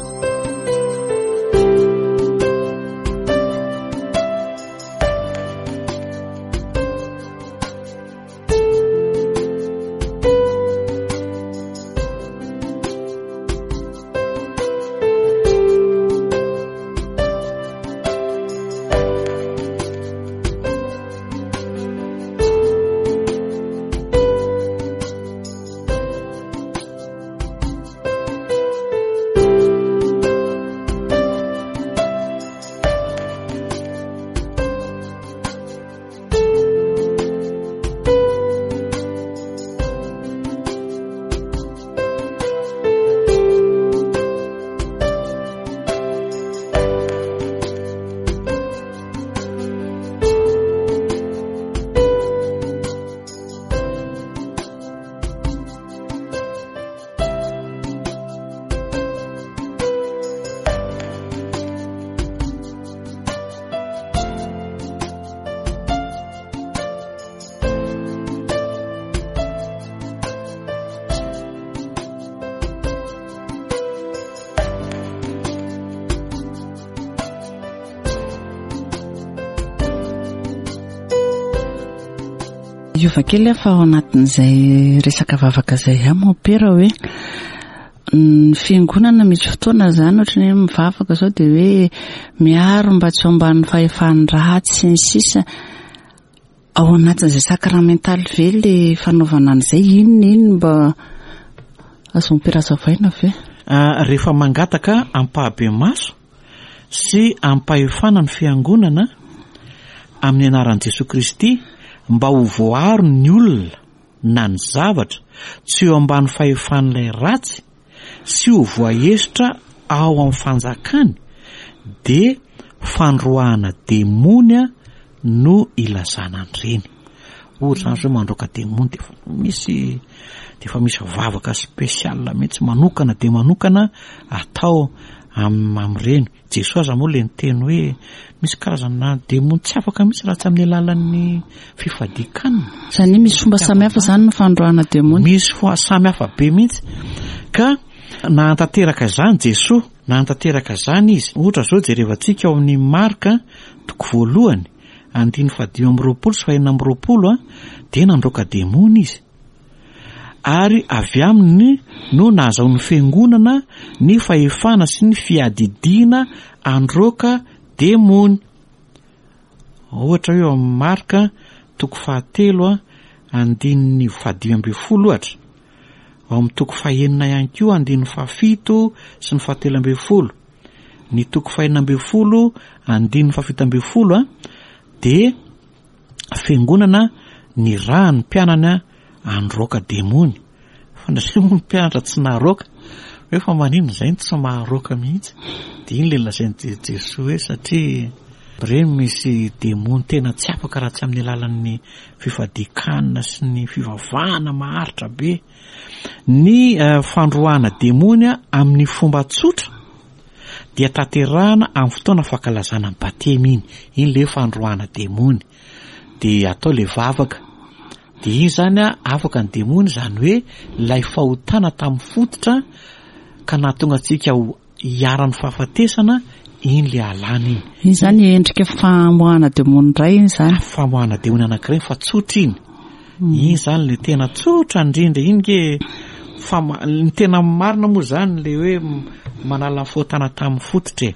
Hiova kely aho fa ao anatin'izay resaka vavaka izay ihany mompera hoe ny fiangonana misy fotoana izany ohatran'ny hoe mivavaka izao dia hoe miaro mba tsy ho ambanin'ny fahefan'ny ratsy sy ny sisa. Ao anatin'izay sakramentaly ve le fanaovana an'izay? Inona iny mba azo ampirasavaina ve? Ah, rehefa mangataka ampahabemaso sy ampahefana ny fiangonana amin'ny anaran'i Jesoa Kristy mba ho voaaro ny olona na ny zavatra tsy eo ambany fahefan'ilay ratsy sy ho voahesotra ao amin'ny fanjakany dia fandroahana demony no ilazana an'ireny. Ohatra izany zao mandroaka demony dia efa misy dia efa misy vavaka spécial mihitsy manokana dia manokana atao amin'ireny. Jesoa aza moa le niteny hoe misy karazana demony tsy afaka mihitsy raha tsy amin'ny alalan'ny fifadian-kanina. Izany hoe misy fomba samihafa izany ny fandroahana demony. Misy fomba samihafa be mihitsy. Ka nahantanteraka izany Jesoa, nahantanteraka izany izy. Ohatra izao jerevantsika ao amin'ny Marka toko voalohany, andininy fahadimy amby roapolo sy fahenina amby roapolo, dia nandroaka demony izy. Ary avy aminy no nahazahoan'ny fiangonana ny fahefana sy ny fiadidiana handroaka demony. Ohatra hoe eo amin'ny Marka toko fahatelo andininy fahadimy ambin'ny folo ohatra. Ao amin'ny toko fahenina ihany koa andininy fahafito sy ny fahatelo ambin'ny folo. Ny toko fahenina ambin'ny folo andininy fahafito ambin'ny folo dia fiangonana nirahan'ny mpianany handroaka demony. Fa indraindray moa ny mpianatra tsy naharoaka, hoe fa maninona izay no tsy maharoaka mihitsy. Dia iny ilay lazain'i Jesoa hoe satria ireny misy demony tena tsy afaka raha tsy amin'ny alalan'ny fifadian-kanina sy ny fivavahana maharitra be. Ny fandroahana demony amin'ny fomba tsotra dia tanterahana amin'ny fotoana fankalazana ny batemy iny. Iny ilay hoe fandroahana demony. Dia atao ilay vavaka. Dia iny izany afaka ny demony, izany hoe ilay fahotana tamin'ny fototra ka nahatonga antsika ho iharan'ny fahafatesana, iny ilay alana iny. Iny izany endrika famoahana demony iray iny izany. Famoahana demony anankiray fa tsotra iny. Iny izany ilay tena tsotra indrindra iny nge fa ny tena marina moa izany ilay hoe manala ny fahotana tamin'ny fototra e.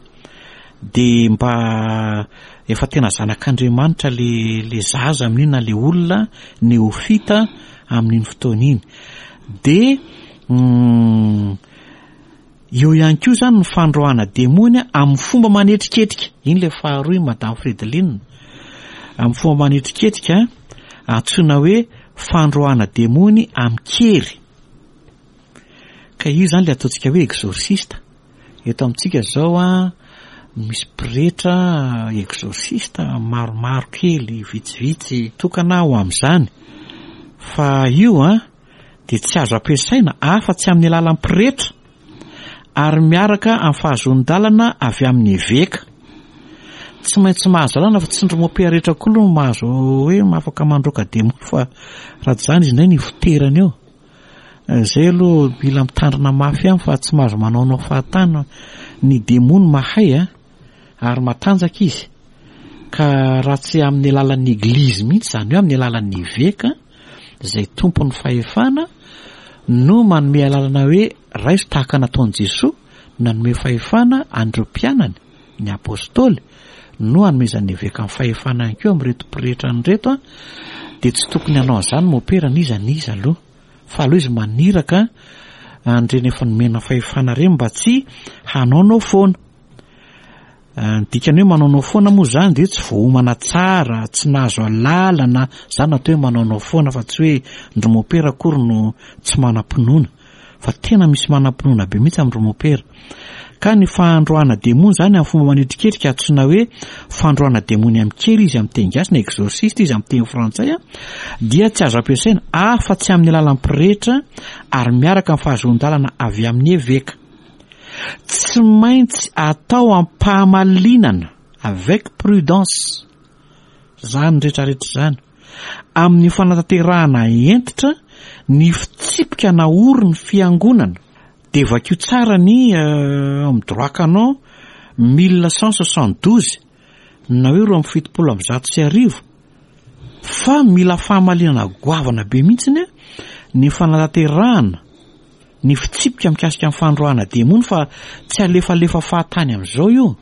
Dia mba efa tena zanak'Andriamanitra le le zaza amin'iny na le olona neofita amin'iny fotoana iny. Dia eo ihany koa izany ny fandroahana demony amin'ny fomba manetriketrika. Iny ilay faharoa iny Madame Fredeline. Amin'ny fomba manetriketrika antsoina hoe fandroahana demony amin-kery. Ka io izany ilay ataontsika hoe exorciste. Eto amintsika izao an, misy pretra exorciste maromaro kely, vitsivitsy, tokana ho amin'izany. Fa io an, dia tsy azo ampiasaina afa-tsy amin'ny alalan'ny pretra ary miaraka amin'ny fahazoan-dalana avy amin'ny eveka. Tsy maintsy mahazo lalana fa tsy ny mopera rehetra koa aloha no mahazo hoe afaka mandroaka demony fa raha tsy izany izy indray ny ifoterany eo. Izay aloha mila mitandrina mafy ihany fa tsy mahazo manaonao fahatany. Ny demony mahay a, ary matanjaka izy. Ka raha tsy amin'ny alalan'ny eglizy mihitsy, izany hoe amin'ny alalan'ny eveka izay tompon'ny fahefana no manome alalana hoe raiso tahaka nataon'i Jesoa nanome fahefana an'ireo mpianany, ny apostoly, no anomezan'ny eveka ny fahefana ihany koa amin'ireto pretra an'ireto an, dia tsy tokony hanao an'izany mopera n'iza n'iza aloha, fa aleo izy maniraka an'ireny efa nomena fahefana ireny mba tsy hanaonao foana. Ny dikany hoe manaonao foana moa izany dia tsy voaomana tsara, tsy nahazo alalana, izany no atao hoe manaonao foana fa tsy hoe ndry mopera akory no tsy manam-pinoana. Fa tena misy manam-pinoana be mihitsy amin-dry mopera. Ka ny fandroahana demony izany amin'ny fomba manetriketrika antsoina hoe fandroahana demony amin-kery izy amin'ny teny gasy na exorciste izy amin'ny teny frantsay dia tsy azo ampiasaina afa-tsy amin'ny alalan'ny pretra ary miaraka amin'ny fahazoan-dalana avy amin'ny eveka. Tsy maintsy atao am-pahamalinana, avec prudence, izany rehetrarehetra izany. Amin'ny fanatanterahana hentitra ny fitsipika naorin'ny Fiangonana, dia vakio tsara ny ao amin'ny droit canon 1172 na hoe 1172 fa mila fahamalinana goavana be mihitsiny ny fanatanterahana ny fitsipika mikasika ny fandroahana demony fa tsy alefalefa fahatany amin'izao io.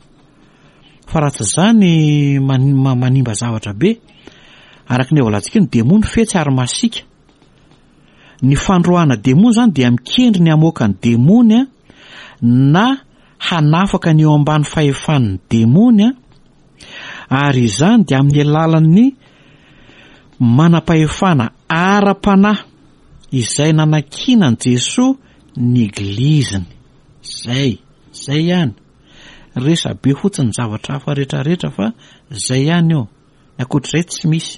Fa raha tsy izany manimba zavatra be. Araka ny voalantsika ny demony fetsy ary masiaka. Ny fandroahana demony izany dia mikendry ny hamoaka ny demony na hanafaka ny eo ambany fahefan'ny demony ary izany dia amin'ny alalan'ny manam-pahefana ara-panahy izay nanankinan'i Jesoa ny Egliziny. Izay, izay ihany. Resabe fotsiny ny zavatra hafa retraretra fa zay ihany io. Ny ankoatr'izay tsy misy.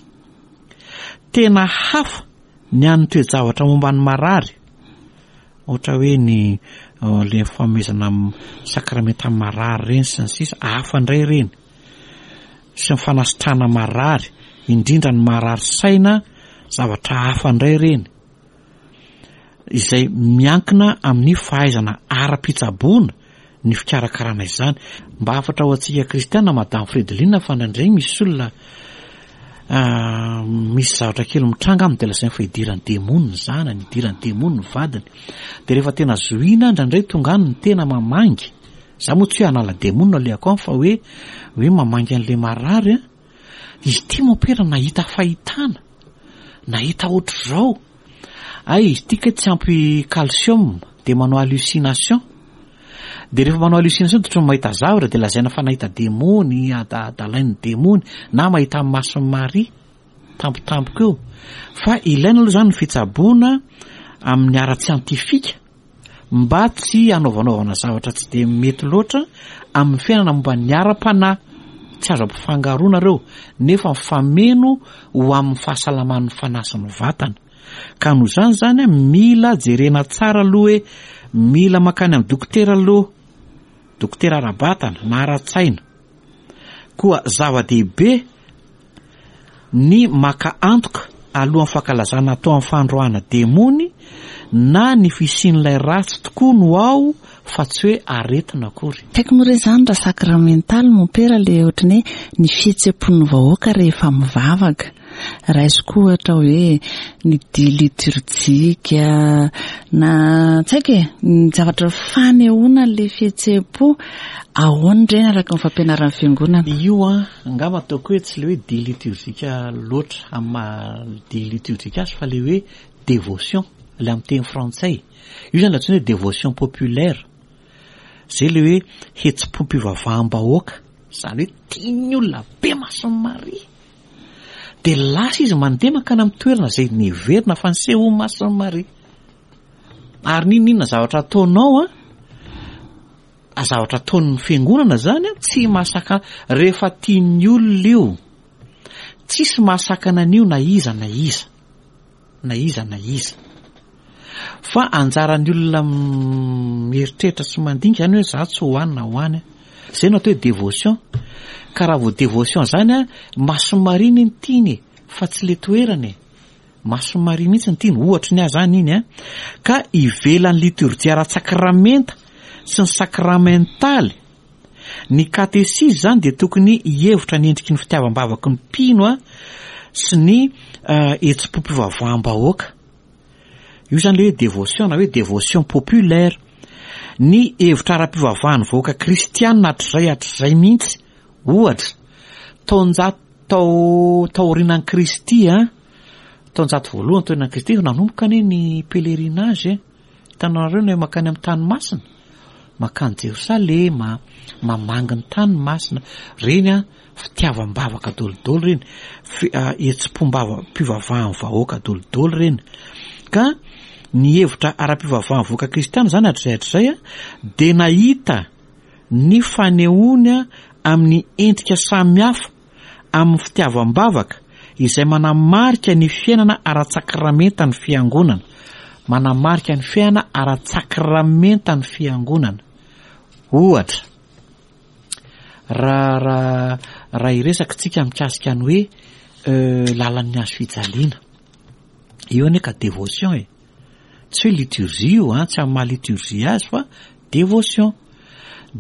Tena hafa ny an'ny toe-javatra momba ny marary. Ohatra hoe ny le fanomezana sakramenta marary ireny sy ny sisa, hafa indray ireny. Sy ny fanasitrana marary, indrindra ny marary saina, zavatra hafa indray ireny. izay miankina amin'ny fahaizana ara-pitsaboana ny fikarakarana izany. Mba hafatra ho antsika kristiana Madame Fredeline fa indraindray misy olona misy zavatra kely mitranga aminy dia lazainy fa idiran'ny demony ny zanany, idiran'ny demony ny vadiny. Dia rehefa tena zohiana indraindray tonga any ny tena mamangy. Za moa tsy hoe hanala demony no alehako any fa hoe hoe mamangy an'ilay marary an. Izy ity mompera nahita fahitana, nahita ohatr'izao. Hay izy ity kay tsy ampy calcium dia manao hallucination. Dia rehefa manao hallucination dia ohatran'ny mahita zavatra dia lazaina fa nahita demony, adalain'ny demony na mahita amin'ny mason'i Maria tampotampoka eo. Fa ilaina aloha izany ny fitsaboana amin'ny ara-tsiantifika. mba tsy hanaovanaovana zavatra tsy dia mety loatra amin'ny fiainana momba ny ara-panahy, tsy azo ampifangaroana ireo, nefa mifameno ho amin'ny fahasalaman'ny fanahy sy ny vatana. Ka noho izany izany, mila jerena tsara aloha hoe mila mankany amin'ny dokotera aloha, dokotera ara-batana na ara-tsaina. Koa zava-dehibe ny maka antoka alohan'ny fankalazana atao amin'ny fandroahana demony na ny fisian'ilay ratsy tokoa no ao fa tsy hoe aretina akory. Tiako moa re izany raha sakramentaly mompera le ohatran'ny hoe ny fihetsem-pon'ny vahoaka rehefa mivavaka. Raisiko ohatra hoe ny dihy liturjika na tsy haiko e, ny zavatra fanehoana an'ilay fihetsem-po, ahoana ireny araka ny fampianaran'ny fiangonana? Io an, angamba ataoko hoe tsy ilay hoe dihy liturjika loatra amin'ny maha dihy liturjika azy fa ilay hoe dévotion, ilay amin'ny teny frantsay. Io izany antsoina hoe dévotion populaire. Izay ilay hoe hetsi-pom-pivavaham-bahoaka, izany hoe tian'ny olona be Masin'i Maria. Dia lasa izy mandeha mankany amin'ny toerana izay neverina fa nisehoan'i Masin'i Maria. Ary n'inon'inona zavatra ataonao an, zavatra ataon'ny fiangonana izany an, tsy mahasakana, rehefa tian'ny olona io, tsisy mahasakana an'io na iza na iza. na iza na iza. Fa anjaran'ny olona mieritreritra sy mandinika izany hoe za tsy ho any na ho any. Izay no atao hoe dévotion. Ka raha vao dévotion zany an, Masin'i Maria anie no tiany e, fa tsy le toerana e. Masin'i Maria mihitsy no tiany, ohatry ny ahy zany iny an. Ka ivelan'ny liturjia ara-tsakramenta sy ny sakramentaly, ny katesizy izany dia tokony hihevitra ny endriky ny fitiavam-bavaky ny mpino sy ny hetsi-pom-pivavaham-bahoaka. Io izany ilay hoe dévotion na hoe dévotion populaire. Ny hevitra ara-pivavahan'ny vahoaka kristiana hatrizay hatrizay mihitsy, ohatra, taonjato tao taorianan'i Kristy, taonjato voalohany taorianan'i Kristy, nanomboka anie ny pèlerinage e. Hitanareo ny hoe mankany amin'ny tany masina, mankany Jerosalema, mamangy ny tany masina, ireny an, fitiavam-bavaka dolidoly ireny, hetsi-pom-bava-pivavahan'ny vahoaka dolidoly ireny. Ka ny hevitra ara-pivavahan'ny vahoaka kristiana izany hatrizay hatrizay an, dia nahita ny fanehoany amin'ny endrika samihafa amin'ny fitiavam-bavaka izay manamarika ny fiainana ara-tsakramentan'ny Fiangonana. Manamarika ny fiainana ara-tsakramentan'ny Fiangonana. Ohatra, raha raha raha hiresaka tsika mikasika ny hoe lalan'ny hazo fijaliana. Io anie ka dévotion e. Tsy hoe liturgie io an, tsy amin'ny maha liturgie azy fa dévotion.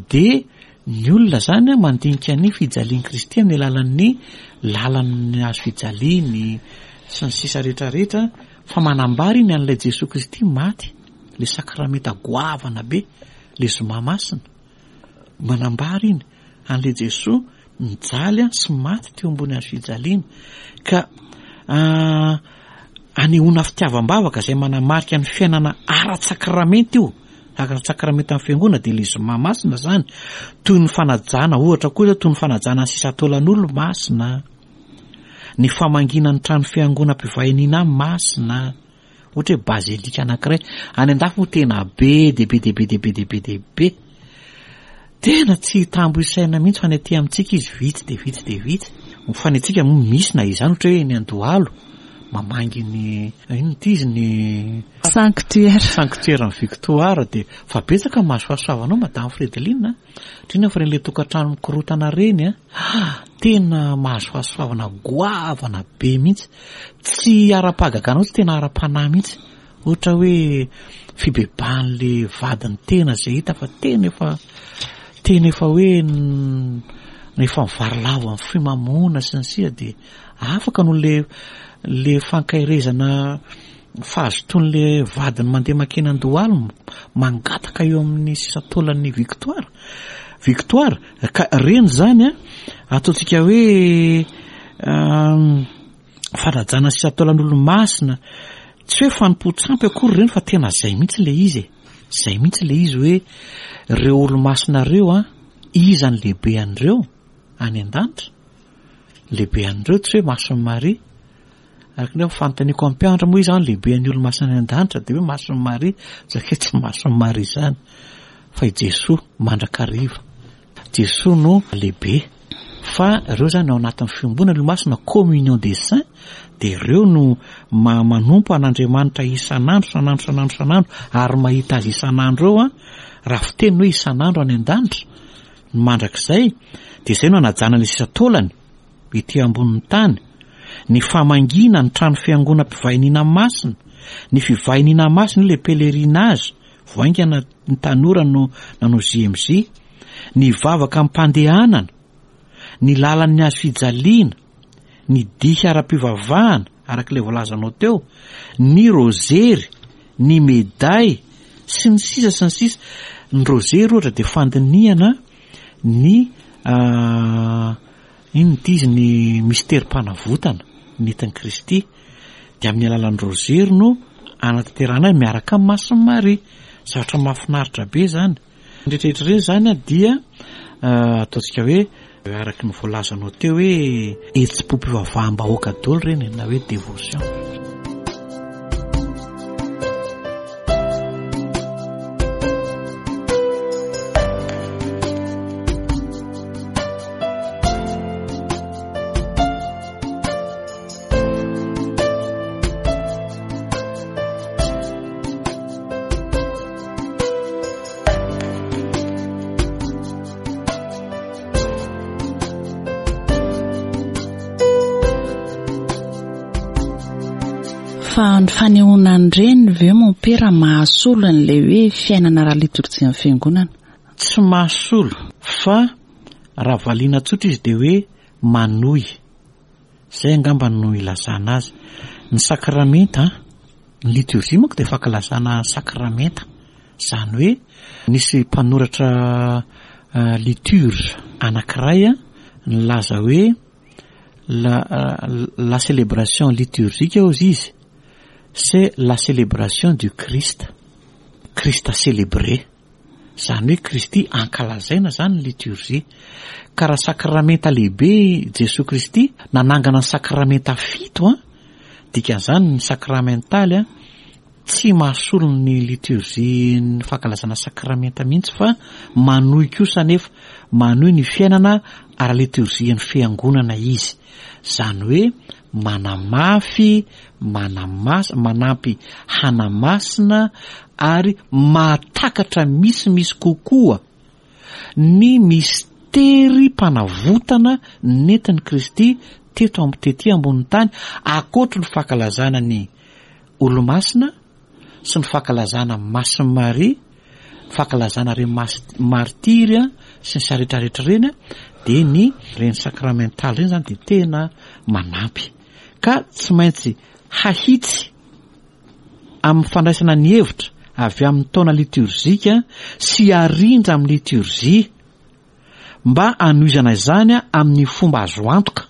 Dia ny olona zany an mandinika ny fijalian'i Kristy amin'ny alalan'ny lalan'ny hazo fijaliany sy ny sisa rehetra rehetra fa manambara iny an'ilay Jesoa Kristy maty, ilay sakramenta goavana be, ilay zoma masina. Manambara iny an'ilay Jesoa nijaly sy maty teo ambony hazo fijaliana. Ka anehoana fitiavam-bavaka izay manamarika ny fiainana ara-tsakramenta io, ara-tsakramentan'ny fiangonana dia ilay zoma masina izany, toy ny fanajana ohatra koa izao, toy ny fanajana ny sisan-taolan'olo-masina, ny famangiana ny trano fiangonam-pivahiniana masina, Ohatra hoe bazilika anankiray. Any an-dafy moa tena be dia be dia be dia be dia be dia be. Tena tsy tambo isaina mihitsy fa ny aty amintsika izy vitsy dia vitsy dia vitsy. Fa ny antsika moa misy na izany ohatra hoe eny Andohalo mamangy ny inona ity izy ny Sanctuaire. Sanctuaire ny Victoire dia fa betsaka ny mahazo fahasoavana ao Madame Fredeline a. Indrindra fa ireny ilay tokantrano mikorotana ireny a. Tena mahazo fahasoavana goavana be mihitsy. Tsy ara-pahagagana mihitsy, tena ara-panahy mihitsy. Ohatra hoe fibebahan'le vadin'ny tena izay hita fa tena efa tena efa hoe efa mivarilavo amin'ny fimamoana sy ny sisa dia afaka noho le le fankaherezana fahazotoan'le vadiny mandeha mankeny an-dohalo mangataka eo amin'ny sisan-taolan'ny Victoire. Victoire, ka reny izany an, ataontsika hoe fanajana sy taolan'olo-masina, tsy hoe fanompoan-tsampy akory ireny fa tena zay mihitsy ilay izy e, zay mihitsy ilay izy hoe ireo olo-masina ireo an, iza ny lehibe an'ireo any an-danitra? Lehibe an'ireo tsy hoe Masin'i Maria. Araka ny hoe fanontaniako amin'ny mpianatra moa iza ny lehibe an'ny olo-masina any an-danitra dia hoe Masin'i Maria, satria tsy Masin'i Maria izany fa i Jesoa mandrakariva. Jesoa no lehibe fa ireo izany ao anatin'ny fiombonana olo-masina communion des saints dia ireo no manompo an'Andriamanitra isan'andro isan'andro isan'andro isan'andro ary mahita azy isan'andro eo an, raha fiteny hoe isan'andro any an-danitra ny mandrakizay dia izay no anajana ny sisa taolany ety ambonin'ny tany, ny famangiana ny trano fiangonam-pivahiniana masina, ny fivahiniana masina io ilay pèlerinage Vao haingana ny tanora no nanao JMJ, ny vavaka am-pandehanana, ny lalan'ny hazo fijaliana, ny dihy ara-pivavahana, araka ilay voalazanao teo, ny rozery, ny meday, sy ny sisa sy ny sisa. Ny rozery ohatra dia fandinihana ny Inona ity izy ny misterim-panavotana nentin'i Kristy dia amin'ny alalan'ny rozery no anatanterahana azy miaraka amin'i Masin'i Maria. Zavatra mahafinaritra be izany. Ny rehetrarehetra ireny izany dia ataontsika hoe araka ny voalazanao teo hoe hetsi-pom-pivavaham-bahoaka daholo ireny na hoe dévotion. Fa ny fanehoana an'ireny ve mompera mahasolo an'ilay hoe fiainana ara-litorjian'ny fiangonana? Tsy mahasolo fa raha valiana tsotra izy dia hoe manohy. Izay angamba no ilazana azy. Ny sakramenta, ny liturgie manko dia fankalazana sakramenta. Izany hoe nisy mpanoratra liturge anankiray nilaza hoe la la célébration liturgique hozy izy c'est la célébration du Christ, Christ célébré. Izany hoe Kristy ankalazaina izany ny liturgie. Ka raha sakramenta lehibe i Jesoa Kristy, nanangana ny sakramenta fito an, dikan'izany ny sakramentaly an, tsy mahasolo ny liturgie ny fankalazana sakramenta mihitsy fa manohy kosa anefa, manohy ny fiainana ara-liturgie ny fiangonana izy. Izany hoe manamafy, manamas, manampy hanamasina ary mahatakatra misimisy kokoa ny misterim-panavotana nentin'i Kristy teto am, tety ambonin'ny tany, ankoatry ny fankalazana ny Olomasina sy ny fankalazana Masin'i Maria, fankalazana ireny mas, martiry sy ny sisa rehetra rehetra ireny, dia ny ireny sakramentaly ireny izany dia tena manampy. Ka tsy maintsy hahitsy amin'ny fandraisana ny hevitra avy amin'ny taona litorzika sy harindra amin'ny litorzia mba hanohizana izany amin'ny fomba azo antoka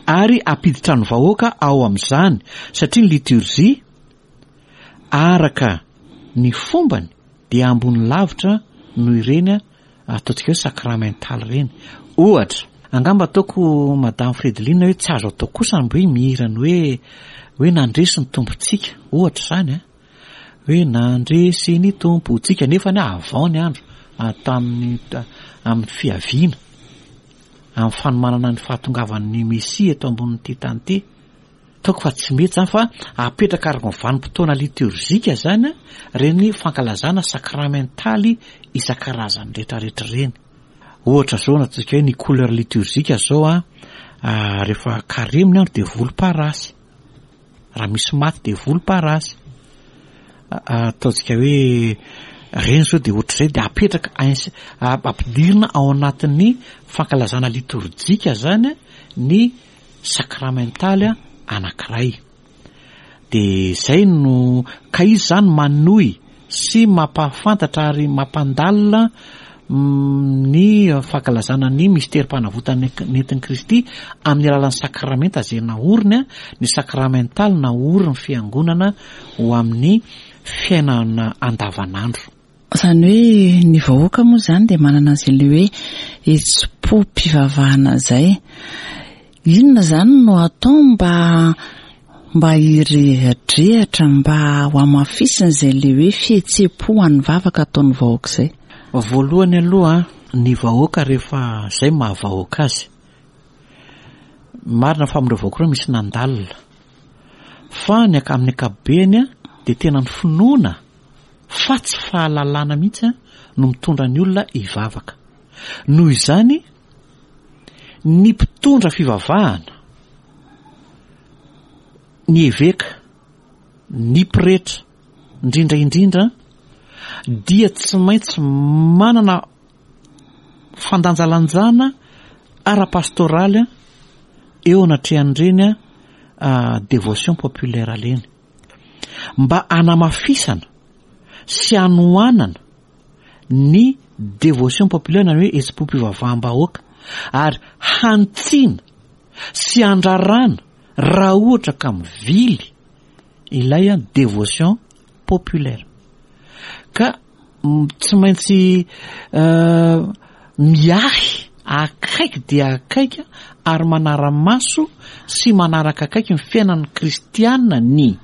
ary hampiditra ny vahoaka ao amin'izany satria ny litorzia araka ny fombany dia ambony lavitra noho ireny ataontsika hoe sacramental ireny. Ohatra, angamba ataoko Madame Fredeline hoe tsy azo atao kosa ny hoe mihira ny hoe hoe nandresy ny Tompontsika, ohatra izany an, hoe nandresy ny Tompontsika nefa ny avant ny andro tamin'ny amin'ny fiaviana, amin'ny fanomanana ny fahatongavan'ny Mesia eto ambonin'ity tany ity. Ataoko fa tsy mety izany fa apetraka araka ny vanim-potoana liturgique izany ireny fankalazana sakramentaly isan-karazany rehetrarehetra ireny. Ohatra izao na ataontsika hoe ny couleur liturgique izao an, rehefa karemy ny andro dia volomparasy, raha misy maty dia volomparasy. Ataontsika hoe ireny izao dia ohatr'izay dia apetraka ampidirina ao anatin'ny fankalazana litorjika izany ny sakramentaly anankiray. Dia izay no, ka izy izany manohy sy mampahafantatra ary mampandalina ny fankalazana ny misterim-panavotana nentin'i Kristy amin'ny alalan'ny sakramenta izay naoriny, ny sakramentaly naorin'ny Fiangonana ho amin'ny fiainana andavanandro. Izany hoe ny vahoaka moa izany dia manana an'izay ilay hoe hetsi-pom-pivavahana izay. Inona izany no atao mba mba hirehadrehatra, mba ho hamafisina izay ilay hoe fihetseham-po ho an'ny vavaka ataon'ny vahoaka izay? Voalohany aloha, ny vahoaka rehefa izay maha vahoaka azy. Marina fa amin'ireo vahoaka ireo misy nandalina. Fa ny amin'ny ankapobeny dia tena ny finoana fa tsy fahalalana mihitsy no mitondra ny olona hivavaka. Noho izany, ny mpitondra fivavahana, ny eveka, ny pretra, indrindra indrindra, dia tsy maintsy manana fandanjalanjana ara-pastoraly eo anatrehan'ireny dévotion populaire ireny. Mba hanamafisana sy hanohanana ny dévotion populaire na ny hoe hetsi-pom-pivavaham-bahoaka ary hanitsiana sy handrarana raha ohatra ka mivily ilay dévotion populaire. Ka tsy maintsy miahy akaiky dia akaiky ary manara-maso sy manaraka akaiky ny fiainan'ny kristiana ny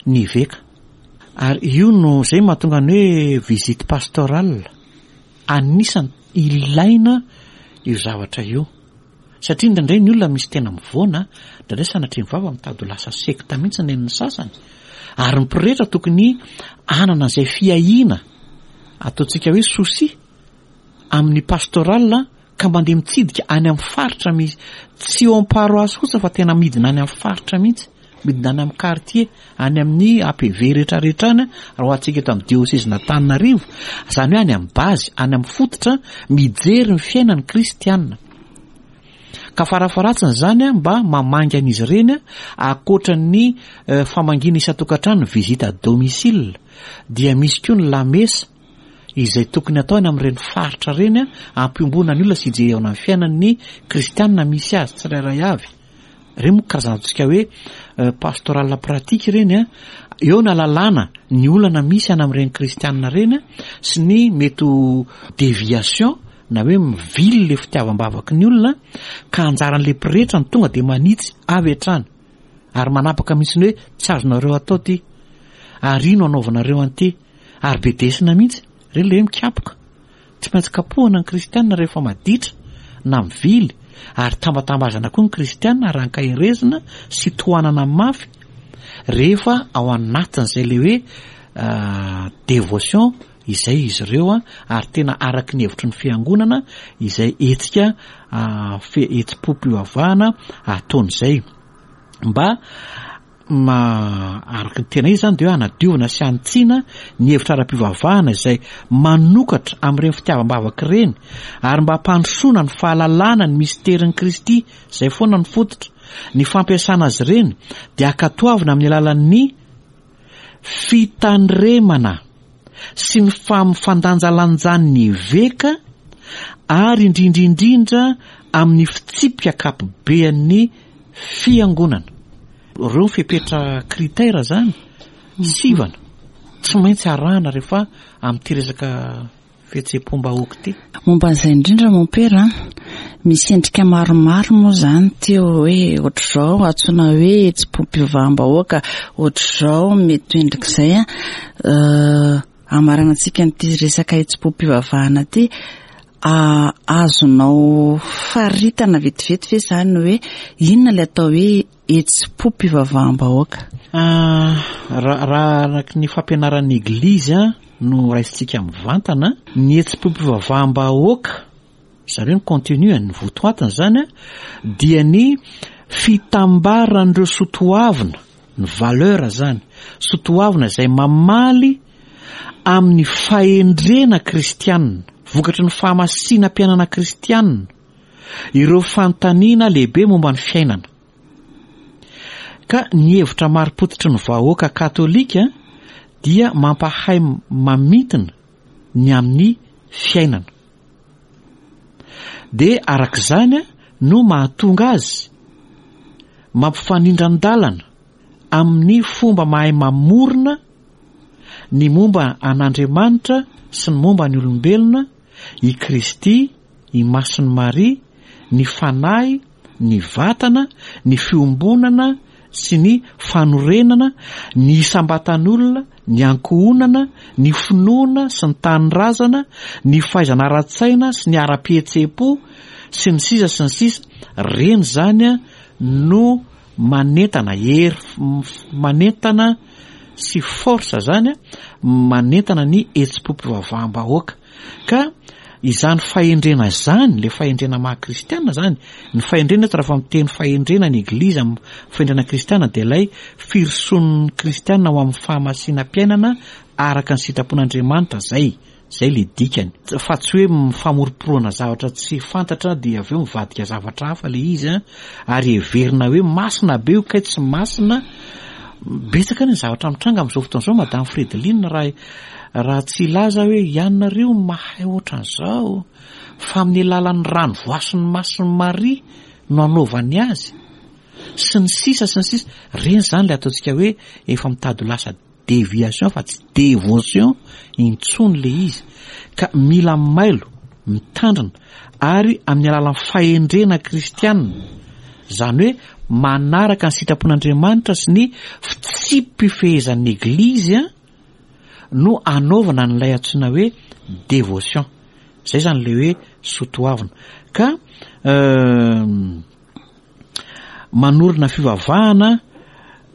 ny eveka. Ary io no izay mahatonga ny hoe visite pastorale. Anisany ilaina io zavatra io. Satria indraindray ny olona misy tena mivoana, indraindray sanatria ny vava mitady ho lasa sekta mihitsy ny an'ny sasany. Ary ny pretra tokony hanana izay fiahiana ataontsika hoe souci amin'ny pastoral ka mandeha mitsidika any amin'ny faritra misy, tsy eo amin'ny paroasy fotsiny fa tena midina any amin'ny faritra mihitsy. Midina any amin'ny quartier, any amin'ny APV rehetra rehetra any, raha ho antsika eto amin'ny diosezin'Antananarivo, izany hoe any amin'ny base, any amin'ny fototra, mijery ny fiainan'ny kristiana. Ka farafaharatsiny izany mba mamangy an'izy ireny ankoatra ny famangiana isan-tokantrano, visite à domicile, dia misy koa ny lamesa izay tokony atao any amin'ireny faritra ireny hampiombona ny olona sy hijerena ny fiainan'ny kristiana misy azy tsirairay avy. Ireny moa karazana ataontsika hoe pastoral pratique ireny an, eo ny ahalalana ny olana misy any amin'ireny kristiana ireny sy ny mety ho déviation na hoe mivily le fitiavam-bavaky ny olona ka anjaran'le pretra no tonga dia manitsy avy hatrany ary manapaka mihitsy ny hoe tsy azonareo atao ty ary ino anaovanareo an'ity ary bedesina mihitsy, ireny le hoe mikapoka, tsy maintsy kapohana ny kristiana rehefa maditra na mivily ary tambatambazana koa ny kristiana ary ankaherezina sy tohanana mafy rehefa ao anatin'izay le hoe dévotion izay izy ireo ary tena araky ny hevitry ny fiangonana izay hetsika hetsi-pom-pivavahana ataon'izay mba araka ny tena izy izany dia hoe hanadiovana sy hanitsiana ny hevitra ara-pivavahana izay manokatra amin'ireny fitiavam-bavaka ireny ary mba hampandrosoana ny fahalalana ny misterin'i Kristy izay foana ny fototra. Ny fampiasana azy ireny dia ankatoavina amin'ny alalan'ny fitandremana sy ny fandanjalanjan'ny eveka ary indrindra indrindra amin'ny fitsipika ankapobean'ny fiangonana. Ireo fepetra critère zany, sivana, tsy maintsy arahana rehefa amin'ity resaka fihetseham-pom-bahoaka ity. Momba an'izay indrindra mompera an, misy endrika maromaro moa izany teo hoe ohatr'izao antsoina hoe hetsi-pom-pivavaham-bahoaka, ohatr'izao mety ho endrik'izay an, hamaranantsika an'ity resaka hetsi-pom-pivavahana ity, azonao faritana vetivety ve izany hoe inona ilay atao hoe hetsi-pom-pivavaham-bahoaka? Raha araka ny fampianaran'ny Eglizy no raisintsika mivantana, ny hetsi-pom-pivavaham-bahoaka, izany hoe ny contenu, ny votoatiny izany, dia ny fitambaran'ireo soatoavina, ny valeur izany, soatoavina izay mamaly amin'ny fahendrena kristianina, vokatry ny fahamasinam-piainana kristianina, ireo fanontaniana lehibe momba ny fiainana. Ka ny hevitra marim-pototry ny vahoaka katolika dia mampahay mamintina ny amin'ny fiainana. Dia araka izany no mahatonga azy mampifanindran-dalana amin'ny fomba mahay mamorona ny momba an'Andriamanitra sy ny momba ny olombelona i Kristy i Masin'i Maria, ny fanahy, ny vatana, ny fiombonana sy ny fanorenana, ny isam-batan'olona, ny ankohonana, ny finoana sy ny tanindrazana, ny fahaizana ara-tsaina sy ny ara-pihetseham-po, sy ny sisa sy ny sisa Ireny izany no manentana, hery manentana sy force izany manentana ny hetsi-pom-pivavaham-bahoaka. Ka izany fahendrena izany, ilay fahendrena maha kristiana izany, ny fahendrena eto raha miteny fahendrena ny Eglizy amin'ny fahendrena kristiana dia ilay firosoan'ny kristiana ho amin'ny fahamasinam-piainana araka ny sitrapon'Andriamanitra izay, izay ilay dikany. Fa tsy hoe famoromporonana zavatra tsy fantatra dia avy eo mivadika zavatra hafa ilay izy an, ary heverina hoe masina be io kay tsy masina. Betsaka anie ny zavatra mitranga amin'izao fotoana izao Madame Fredeline raha Raha tsy hilaza hoe ianareo no mahay ohatran'izao fa amin'ny alalan'ny rano voasin'ny masin'i Maria no anaovany azy sy ny sisa sy ny sisa, ireny izany ilay ataontsika hoe efa mitady ho lasa déviation fa tsy dévotion intsony ilay izy ka mila mailo, mitandrina ary amin'ny alalan'ny fahendrena kristianina, izany hoe manaraka ny sitrapon'Andriamanitra sy ny fitsipi-pifehezan'ny Eglizy an, no anaovana an'ilay antsoina hoe dévotion. Zay zany le hoe soatoavina. Ka manorina fivavahana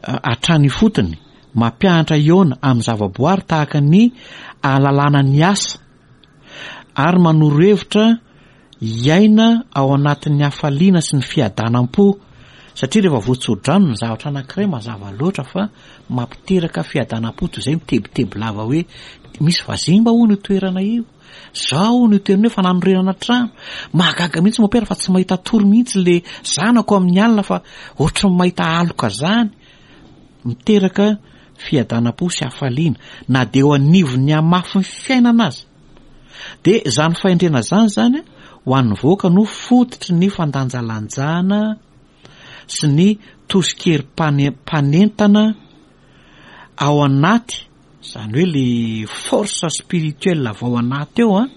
hatrany ifotony, mampianatra hihaona amin'ny zavaboary tahaka ny ahalalana ny asa, ary manoro hevitra hiaina ao anatin'ny hafaliana sy ny fiadanam-po. Satria rehefa voatsodrano ny zavatra anankiray mazava loatra fa mampiteraka fiadanam-po toy izay mitebiteby lava hoe misy vazimba hono io toerana io. Zao hono io toerana io fa nanorenana trano. Mahagaga mihitsy mopera fa tsy mahita tory mihitsy le zanako amin'ny alina fa ohatry ny mahita aloka zany. Miteraka fiadanam-po sy hafaliana na dia eo anivon'ny hamafin'ny fiainana aza. Dia izany fahendrena izany izany ho an'ny vahoaka no fototry ny fandanjalanjana sy ny tosikery mpanentana ao anaty, izany hoe le force spirituelle avy ao anaty ao an,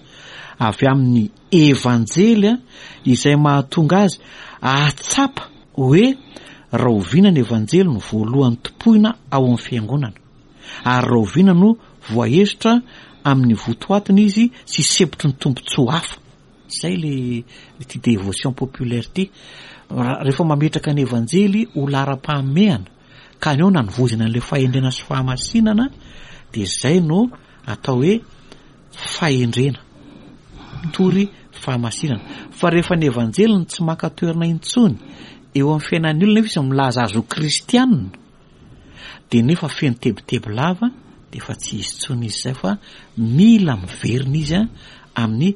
avy amin'ny evanjely an, izay mahatonga azy hahatsapa hoe rahoviana ny evanjely no voalohany tompoina ao amin'ny fiangonana. Ary rahoviana no voahesotra amin'ny votoatiny izy sy sempotry ny tombontsoa hafa? Izay le ity dévotion populaire ity. Rehefa mametraka ny Evanjely ho laharam-pahamehana ka ny eo nanovozana an'ilay fahendrena sy fahamasinana dia izay no atao hoe fahendrena. Mitory fahamasinana. Fa rehefa ny Evanjely no tsy maka toerana intsony eo amin'ny fiainan'ny olona nefa izy milaza azy ho kristianina, dia nefa feno tebiteby lava dia efa tsy izy intsony izy izay fa mila miverina izy amin'ny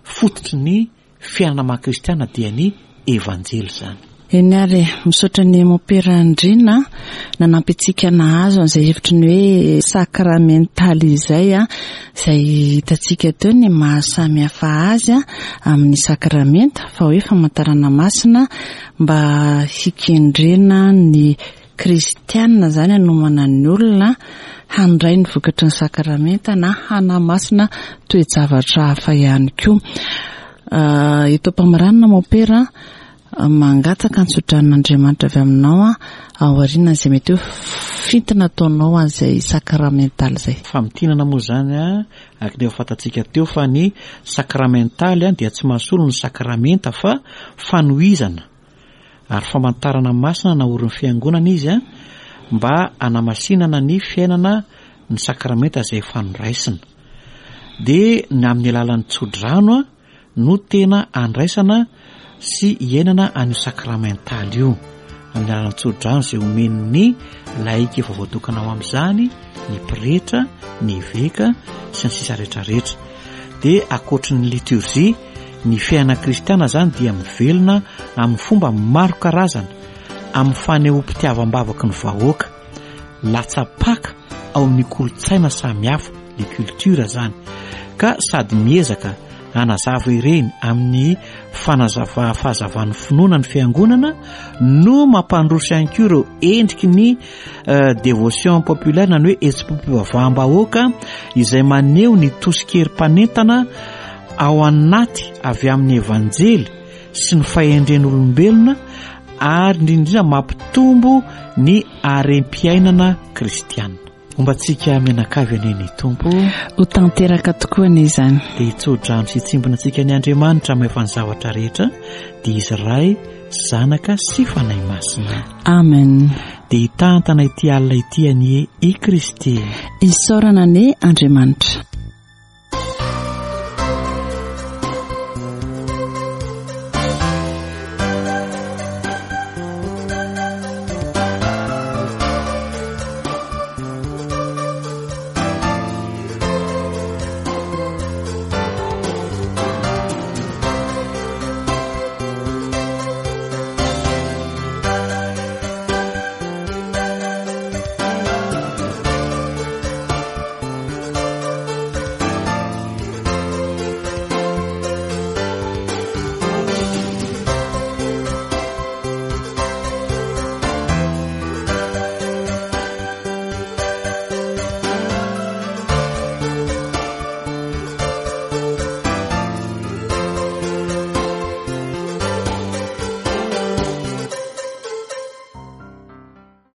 fototry ny fiainana maha kristiana dia ny evanjely izany. Eny ary e, misaotra an'i Mompera Andriana nanampy antsika nahazo an'izay hevitry ny hoe sakramentaly izay, izay hitantsika teo ny maha samy hafa azy amin'ny sakramenta fa hoe famantarana masina mba hikendrena ny kristiana izany hanomana ny olona handray ny vokatry ny sakramenta na hanamasina toe-javatra hafa ihany koa. Eto am-pamaranana mompera mangataka ny tsodranon'Andriamanitra avy aminao aorianan'izay mety hoe fintina ataonao an'izay sakramentaly izay. Famintinana moa izany araka ny efa fantatsika teo fa ny sakramentaly dia tsy mahasolo ny sakramenta fa fanohizana ary famantarana masina naorin'ny Fiangonana izy mba hanamasinana ny fiainana ny sakramenta izay efa noraisina. Dia ny amin'ny alalan'ny tsodrano no tena andraisana sy iainana an'io sakramentaly io. Amin'ny alalan'ny tsodrano izay omen'ny laika efa voatokana ho amin'izany, ny pretra, ny eveka sy ny sisa rehetrarehetra. Dia ankoatry ny liturgie, ny fiainana kristiana izany dia mivelona amin'ny fomba maro karazana, amin'ny fanehoam-pitiavam-bavaky ny vahoaka, latsa-paka ao amin'ny kolontsaina samihafa, les cultures izany, ka sady miezaka hanazava ireny amin'ny fanazava fahazavan'ny finoana ny fiangonana no mampandroso ihany koa ireo endriky ny euh, dévotion populaire na ny hoe hetsi-pivavaham-bahoaka izay maneho ny tosikery mpanentana ao anaty avy amin'ny evanjely sy ny fahendren'olombelona ary indrindra indrindra mampitombo ny harem-piainana kristiana. Homba antsika mianakavy anie ny Tompo. Ho tanteraka tokoa anie izany. Dia hitso-drano sy hitsimbina antsika ny Andriamanitra mahefa ny zavatra rehetra, dia Izy Ray, Zanaka sy Fanahy Masina. Amen. Dia hitantana ity alina ity anie i Kristy. Isaorana anie Andriamanitra.